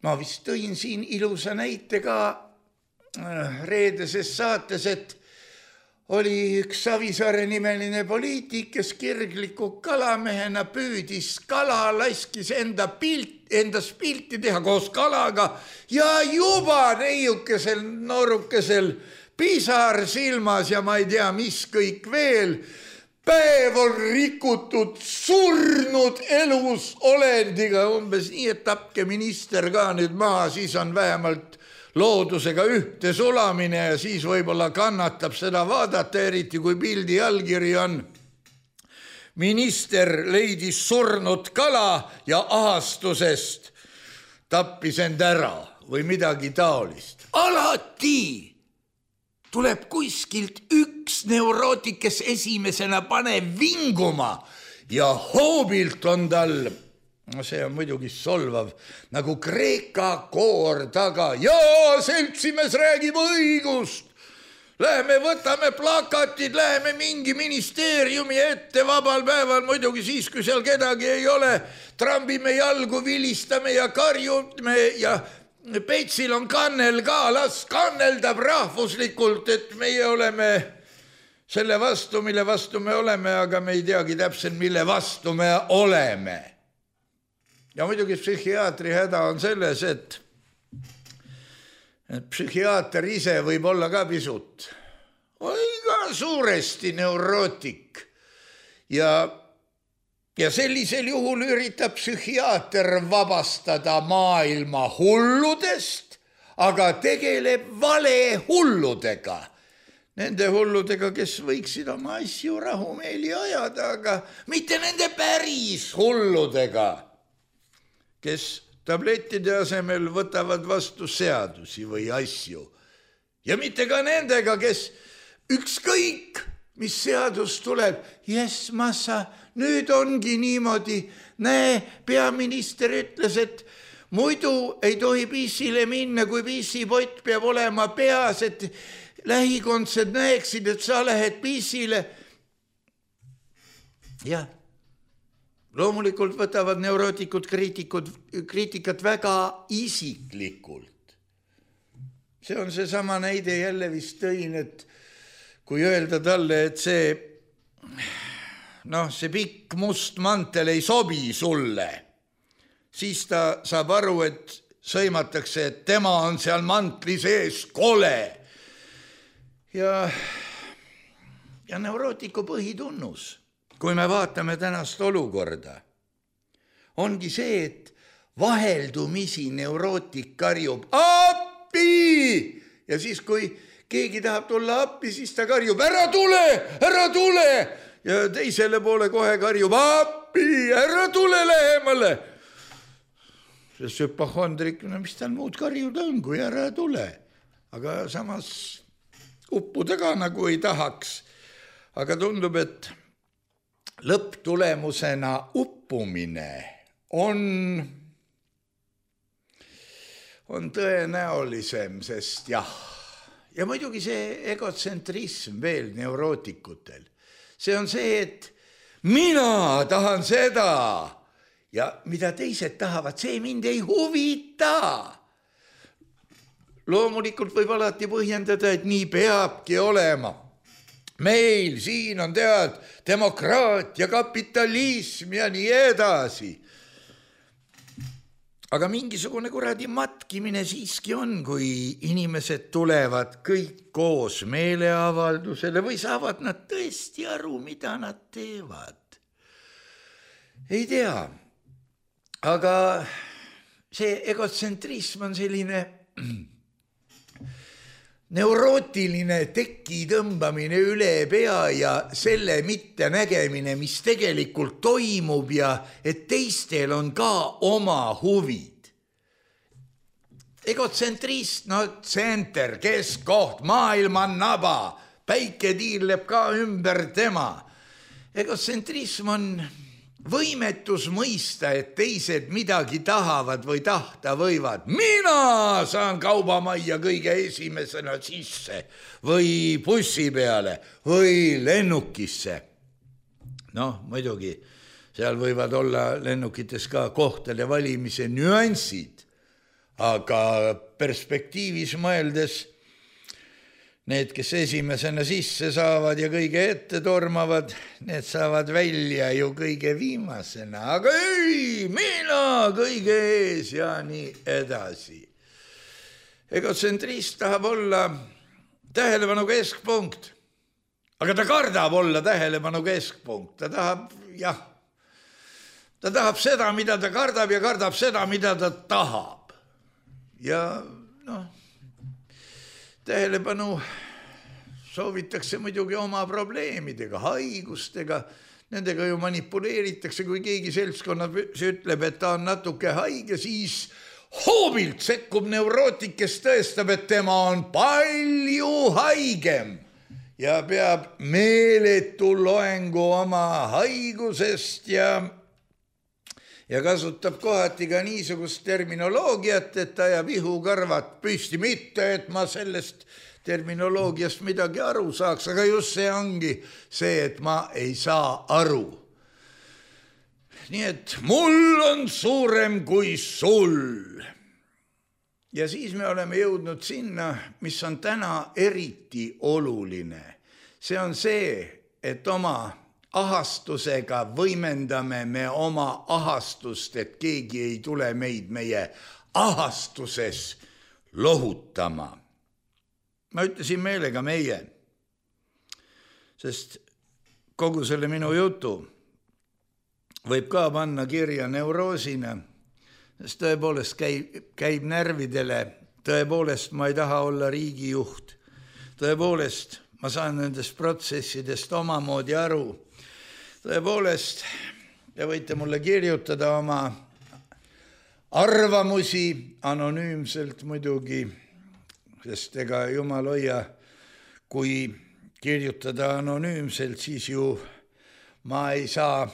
ma vist tõin siin ilusa näite ka reedeses saates, et oli üks Savisaare nimeline poliitik, kes kirgliku kalamehena püüdis kala, laskis endast pilti teha koos kalaga ja juba neiukesel noorukesel pisar silmas ja ma ei tea, mis kõik veel. Päev on rikutud surnud elus olendiga, umbes nii, et tapke minister ka nüüd maha, siis on vähemalt loodusega ühte sulamine ja siis võib-olla kannatab seda vaadata, eriti kui pildi allkiri on. Minister leidis surnud kala ja ahastusest tappis end ära. või midagi taolist. Alati tuleb kuskilt üks neurootik, kes esimesena paneb vinguma ja hoobilt on tal, no see on muidugi solvav, nagu Kreeka koor taga. Jaa, seltsimees räägib õigust. Läheme võtame plakatid, läheme mingi ministeeriumi ette vabal päeval, muidugi siis, kui seal kedagi ei ole, trambime jalgu, vilistame ja karjume ja Peitsil on kannel ka, las kanneldab rahvuslikult, et meie oleme selle vastu, mille vastu me oleme, aga me ei teagi täpselt, mille vastu me oleme. Ja muidugi psühhiaatri häda on selles, et psühhiaater ise võib olla ka pisut või ka suuresti neurootik ja sellisel juhul üritab psühhiaater vabastada maailma hulludest, aga tegeleb valehulludega. Nende hulludega, kes võiksid oma asju rahumeeli ajada, aga mitte nende päris hulludega, kes tablettide asemel võtavad vastu seadusi või asju. Ja mitte ka nendega, kes ükskõik, mis seadus tuleb, jess, massa, nüüd ongi niimoodi. Näe, peaminister ütles, et muidu ei tohi pissile minna, kui pissipott peab olema peas, et lähikondsed näeksid, et sa lähed pissile. Jah. Loomulikult võtavad neurootikud kriitikat väga isiklikult. See on see sama näide jälle vist tõin, et kui öelda talle, et see pikk must mantel ei sobi sulle, siis ta saab aru, et sõimatakse, et tema on seal mantli sees kole. Ja neurootiku põhitunnus, kui me vaatame tänast olukorda, ongi see, et vaheldumisi neurootik karjub appi ja siis, kui keegi tahab tulla appi, siis ta karjub ära tule ja teisele poole kohe karjub appi, ära tule lähemale. See süpahondrik, mis tal muud karjuda on, kui ära tule, aga samas uppuda ka nagu ei tahaks, aga tundub, et lõpptulemusena uppumine on tõenäolisem, sest ja muidugi see egotsentrism veel neurootikutel. See on see, et mina tahan seda ja mida teised tahavad, see mind ei huvita. Loomulikult võib alati põhjendada, et nii peabki olema. Meil siin on demokraatia, kapitalism ja nii edasi. Aga mingisugune kuradi matkimine siiski on, kui inimesed tulevad kõik koos meeleavaldusele või saavad nad tõesti aru, mida nad teevad. Ei tea, aga see egotsentrism on selline neurootiline teki tõmbamine üle pea ja selle mitte nägemine, mis tegelikult toimub ja et teistel on ka oma huvid. Egotsentrist, tsenter, keskkoht, maailma naba, päike tiirleb ka ümber tema. Egotsentrism on võimetus mõista, et teised midagi tahavad või tahta võivad. Mina saan kaubamajja kõige esimesena sisse või bussi peale või lennukisse. Muidugi, seal võivad olla lennukites ka kohtade valimise nüansid, aga perspektiivis mõeldes need, kes esimesena sisse saavad ja kõige ette tormavad, need saavad välja ju kõige viimasena. Aga ei, mina kõige ees ja nii edasi. Egotsentrist tahab olla tähelepanu keskpunkt, aga ta kardab olla tähelepanu keskpunkt. Ta tahab seda, mida ta kardab ja kardab seda, mida ta tahab. Ja tähelepanu soovitakse muidugi oma probleemidega, haigustega, nendega ju manipuleeritakse, kui keegi seltskonnas ütleb, et ta on natuke haige, siis hoobilt sekkub neurootik, kes tõestab, et tema on palju haigem ja peab meeletu loengu oma haigusest ja kasutab kohati ka niisugust terminoloogiat, et ta jääb ihukarvad püsti. Mitte, et ma sellest terminoloogiast midagi aru saaks, aga just see ongi see, et ma ei saa aru. Nii et mul on suurem kui sul. Ja siis me oleme jõudnud sinna, mis on täna eriti oluline. See on see, et oma ahastusega võimendame me oma ahastust, et keegi ei tule meid meie ahastuses lohutama. Ma ütlesin meelega meie, sest kogu selle minu jutu võib ka panna kirja neuroosina, sest tõepoolest käib närvidele, tõepoolest ma ei taha olla riigijuht, tõepoolest ma saan nendest protsessidest omamoodi aru, tõepoolest te võite mulle kirjutada oma arvamusi anonüümselt muidugi, sest ega jumal hoia, kui kirjutada anonüümselt, siis ju ma ei saa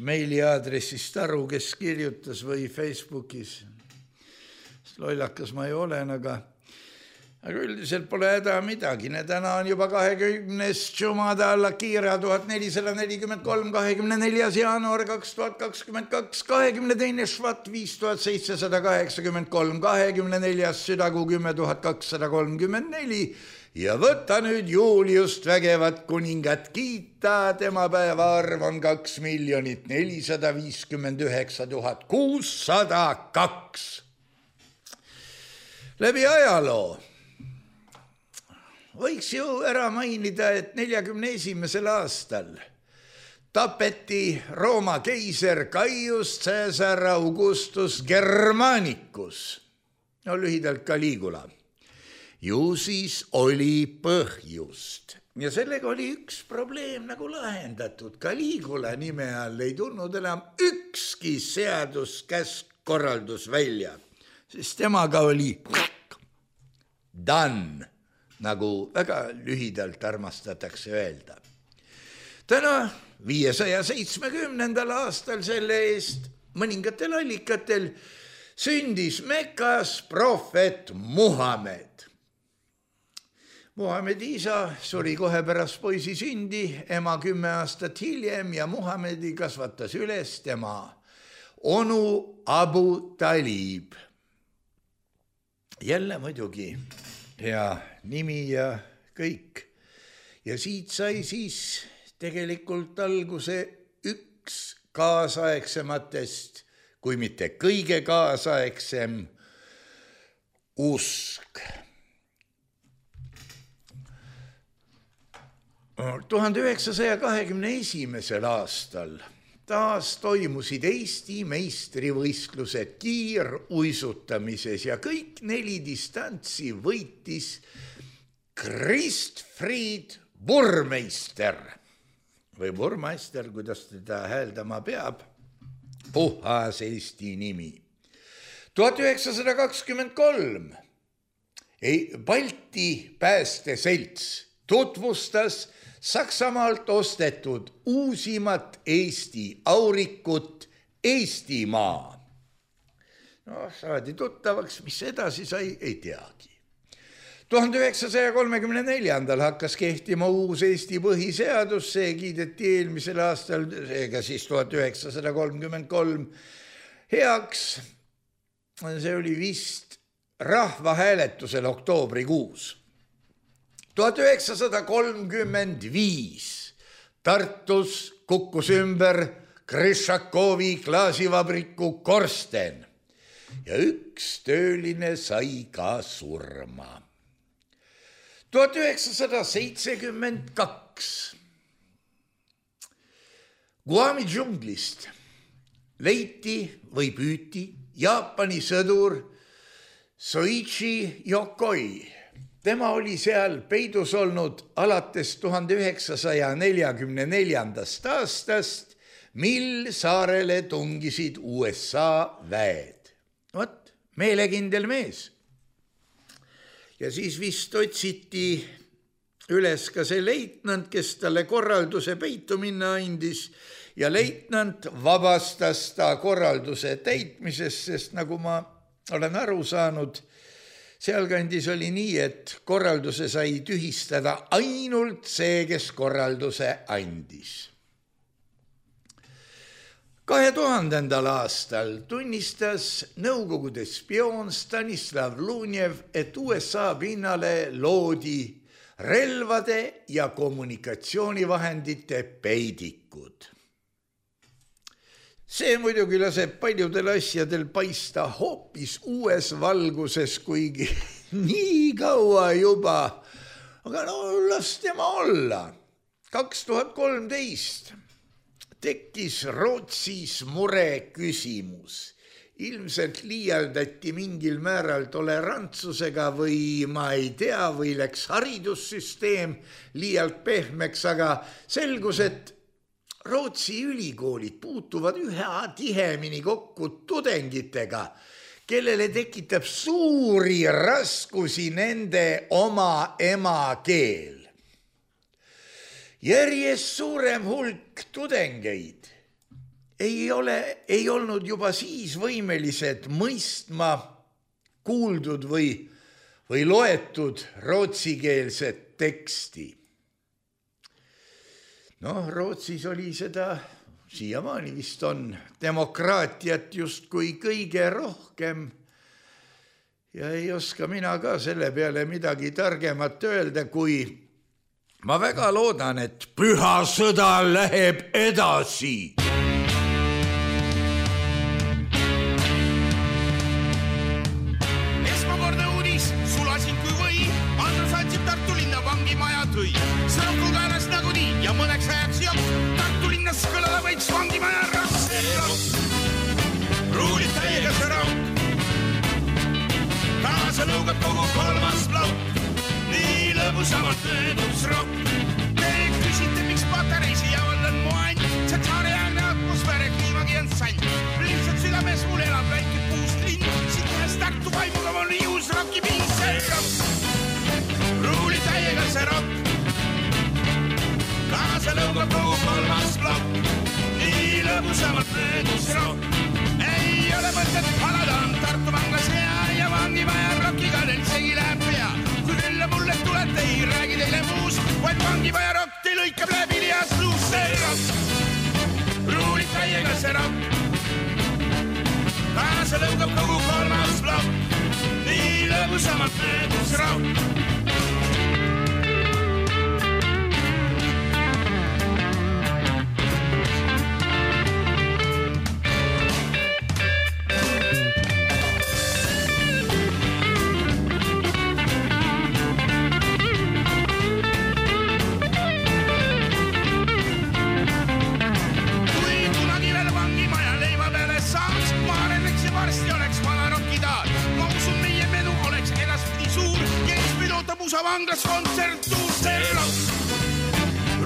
meiliaadressist aru, kes kirjutas või Facebookis. Lollakas ma ei olen, aga üldiselt pole häda midagi. Täna on juba 20. Jumada alla kiira 1443, 24. jaanuar 2022, 22. švat 5783, 24. südakuu 10.234 ja võta nüüd Juliust vägevat kuningat kiita, tema päevaarv on 2 459 602. Läbi ajaloo võiks ju ära mainida, et 41. aastal tapeti Rooma keiser Gaius Caesar Augustus Germanicus, no lühidalt Caligula. Ju siis oli põhjust. Ja sellega oli üks probleem nagu lahendatud. Caligula nime all ei tulnud enam ükski seaduskäsk-korraldus välja, sest temaga oli done, nagu väga lühidalt armastatakse öelda. Täna 570. aastal selle eest mõningatel allikatel sündis Mekas prohvet Muhamed. Muhamedi isa suri kohe pärast poisi sündi, ema 10 aastat hiljem ja Muhamedi kasvatas üles tema onu Abu Talib. Jälle muidugi hea nimi ja kõik. Ja siit sai siis tegelikult alguse üks kaasaegsematest, kui mitte kõige kaasaegsem usk. 1921. aastal taas toimusid Eesti meistrivõistlused kiiruisutamises ja kõik 4 distantsi võitis Kristfried Burmeister või Burmeister, kuidas teda hääldama peab, puhas Eesti nimi. 1923 Balti päästeselts tutvustas Saksamaalt ostetud uusimat Eesti aurikut Eestimaa. No, saadi tuttavaks, mis edasi sai, ei teagi. 1934. hakkas kehtima uus Eesti põhiseadus, see kiideti eelmisel aastal, seega siis 1933 heaks. See oli vist rahvahääletusel oktoobrikuus. 1935 Tartus kukkus ümber Krešakovi klaasivabriku korsten ja üks tööline sai ka surma. 1972 Guami džunglist leiti või püüti Jaapani sõdur Soichi Yokoi. Tema oli seal peidus olnud alates 1944. aastast, mil saarele tungisid USA väed. Vot, meelekindel mees. Ja siis vist otsiti üles ka see leitnant, kes talle korralduse peitu minna andis ja leitnant vabastas ta korralduse täitmisest, sest nagu ma olen aru saanud, sealkandis oli nii, et korralduse sai tühistada ainult see, kes korralduse andis. 2000. aastal tunnistas Nõukogude spioon Stanislav Lunev, et USA pinnale loodi relvade ja kommunikatsioonivahendite peidikud. See muidugi laseb paljudel asjadel paista hoopis uues valguses, kuigi nii kaua juba. Aga no las tema olla. 2013 tekkis Rootsis mure küsimus. Ilmselt liialdati mingil määral tolerantsusega või ma ei tea, või läks haridussüsteem liialt pehmeks, aga selgus, et Rootsi ülikoolid puutuvad üha tihemini kokku tudengitega, kellele tekitab suuri raskusi nende oma emakeel. Järjest suurem hulk tudengeid ei olnud juba siis võimelised mõistma kuuldud või loetud rootsikeelset teksti. Rootsis oli seda, siiamaani vist on, demokraatiat justkui kõige rohkem. Ja ei oska mina ka selle peale midagi targemat öelda, kui ma väga loodan, et püha sõda läheb edasi. Tartu linna vangimaja tõi. Sõnakul käelas nagu nii ja mõneks ajaks jopp. Tartu linnas kõlada võiks vangimaja rasseeros. Ruulid täiega see raud. Kaasa lõugab kogu kolmas laud. Nii lõbusamalt möödus rokk. Te küsite, miks patareisi javal on mu and. See tsaariaegne atmosfääre kliimagi on sand. Lihtsalt südames mul elab väike puust linn. Siit ühes Tartu vaimuga on ius rocki piinseeros. Ruuli täiega see rokk. Kaasa lõugab kogu kolmas plokk. Nii lõbusamalt möödus rokk. Ei ole mõtet halada on Tartu vanglas hea ja vangimaja rockiga neil segi läheb pea. Kui külla mulle tulete, ei räägi teile muus, vaid vangimaja rokk te lõikab läbi lias luus see rokk. Ruuli täiega see rokk. Kaasa lõugab kogu kolmas plokk. Nii lõbusamalt möödus rokk. Vanglas kontsertuus see rokk.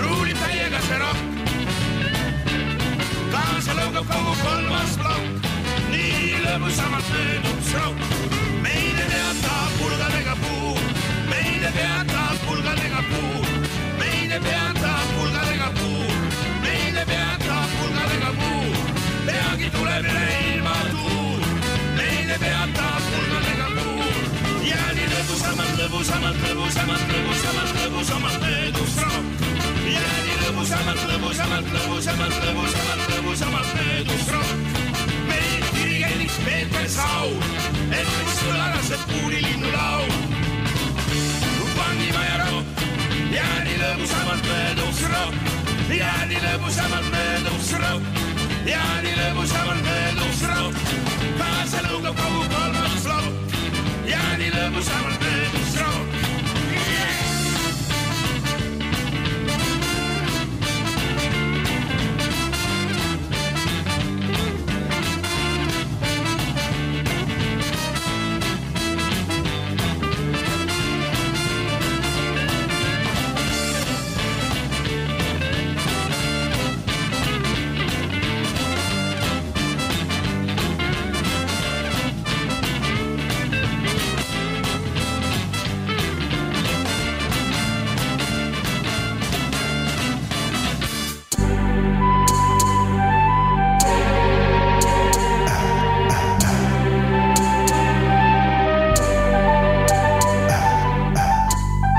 Ruulib täiega see rokk. Kaasa lõugab kogu kolmas plokk. Nii lõbusamalt möödub rokk. Meile teatab pulgadega puur. Meile teatab pulgadega puur. Meile teatab pulgadega puur. Meile teatab pulgadega puur. Peagi tuleb üle ilma tuur. Meile teatab pulgadega puur. Ja nii lõbusamalt möödus rokk. Ja nii lõbusamalt möödus rokk. Meil dirigendiks Peeter Saur, et mis kõlarased puulilinnu laul. Vangimaja rokk. Ja nii lõbusamalt möödus rokk. Ja nii lõbusamalt möödus rokk. Ja nii lõbusamalt möödus rokk. Kaasa lõugab kogu kolmas plokk. Ja nii lõbusamalt möödus rokk.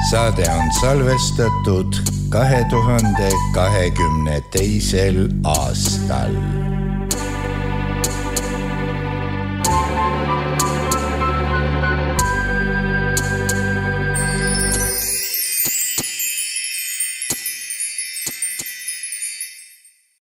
Saade on salvestatud 2022. aastal.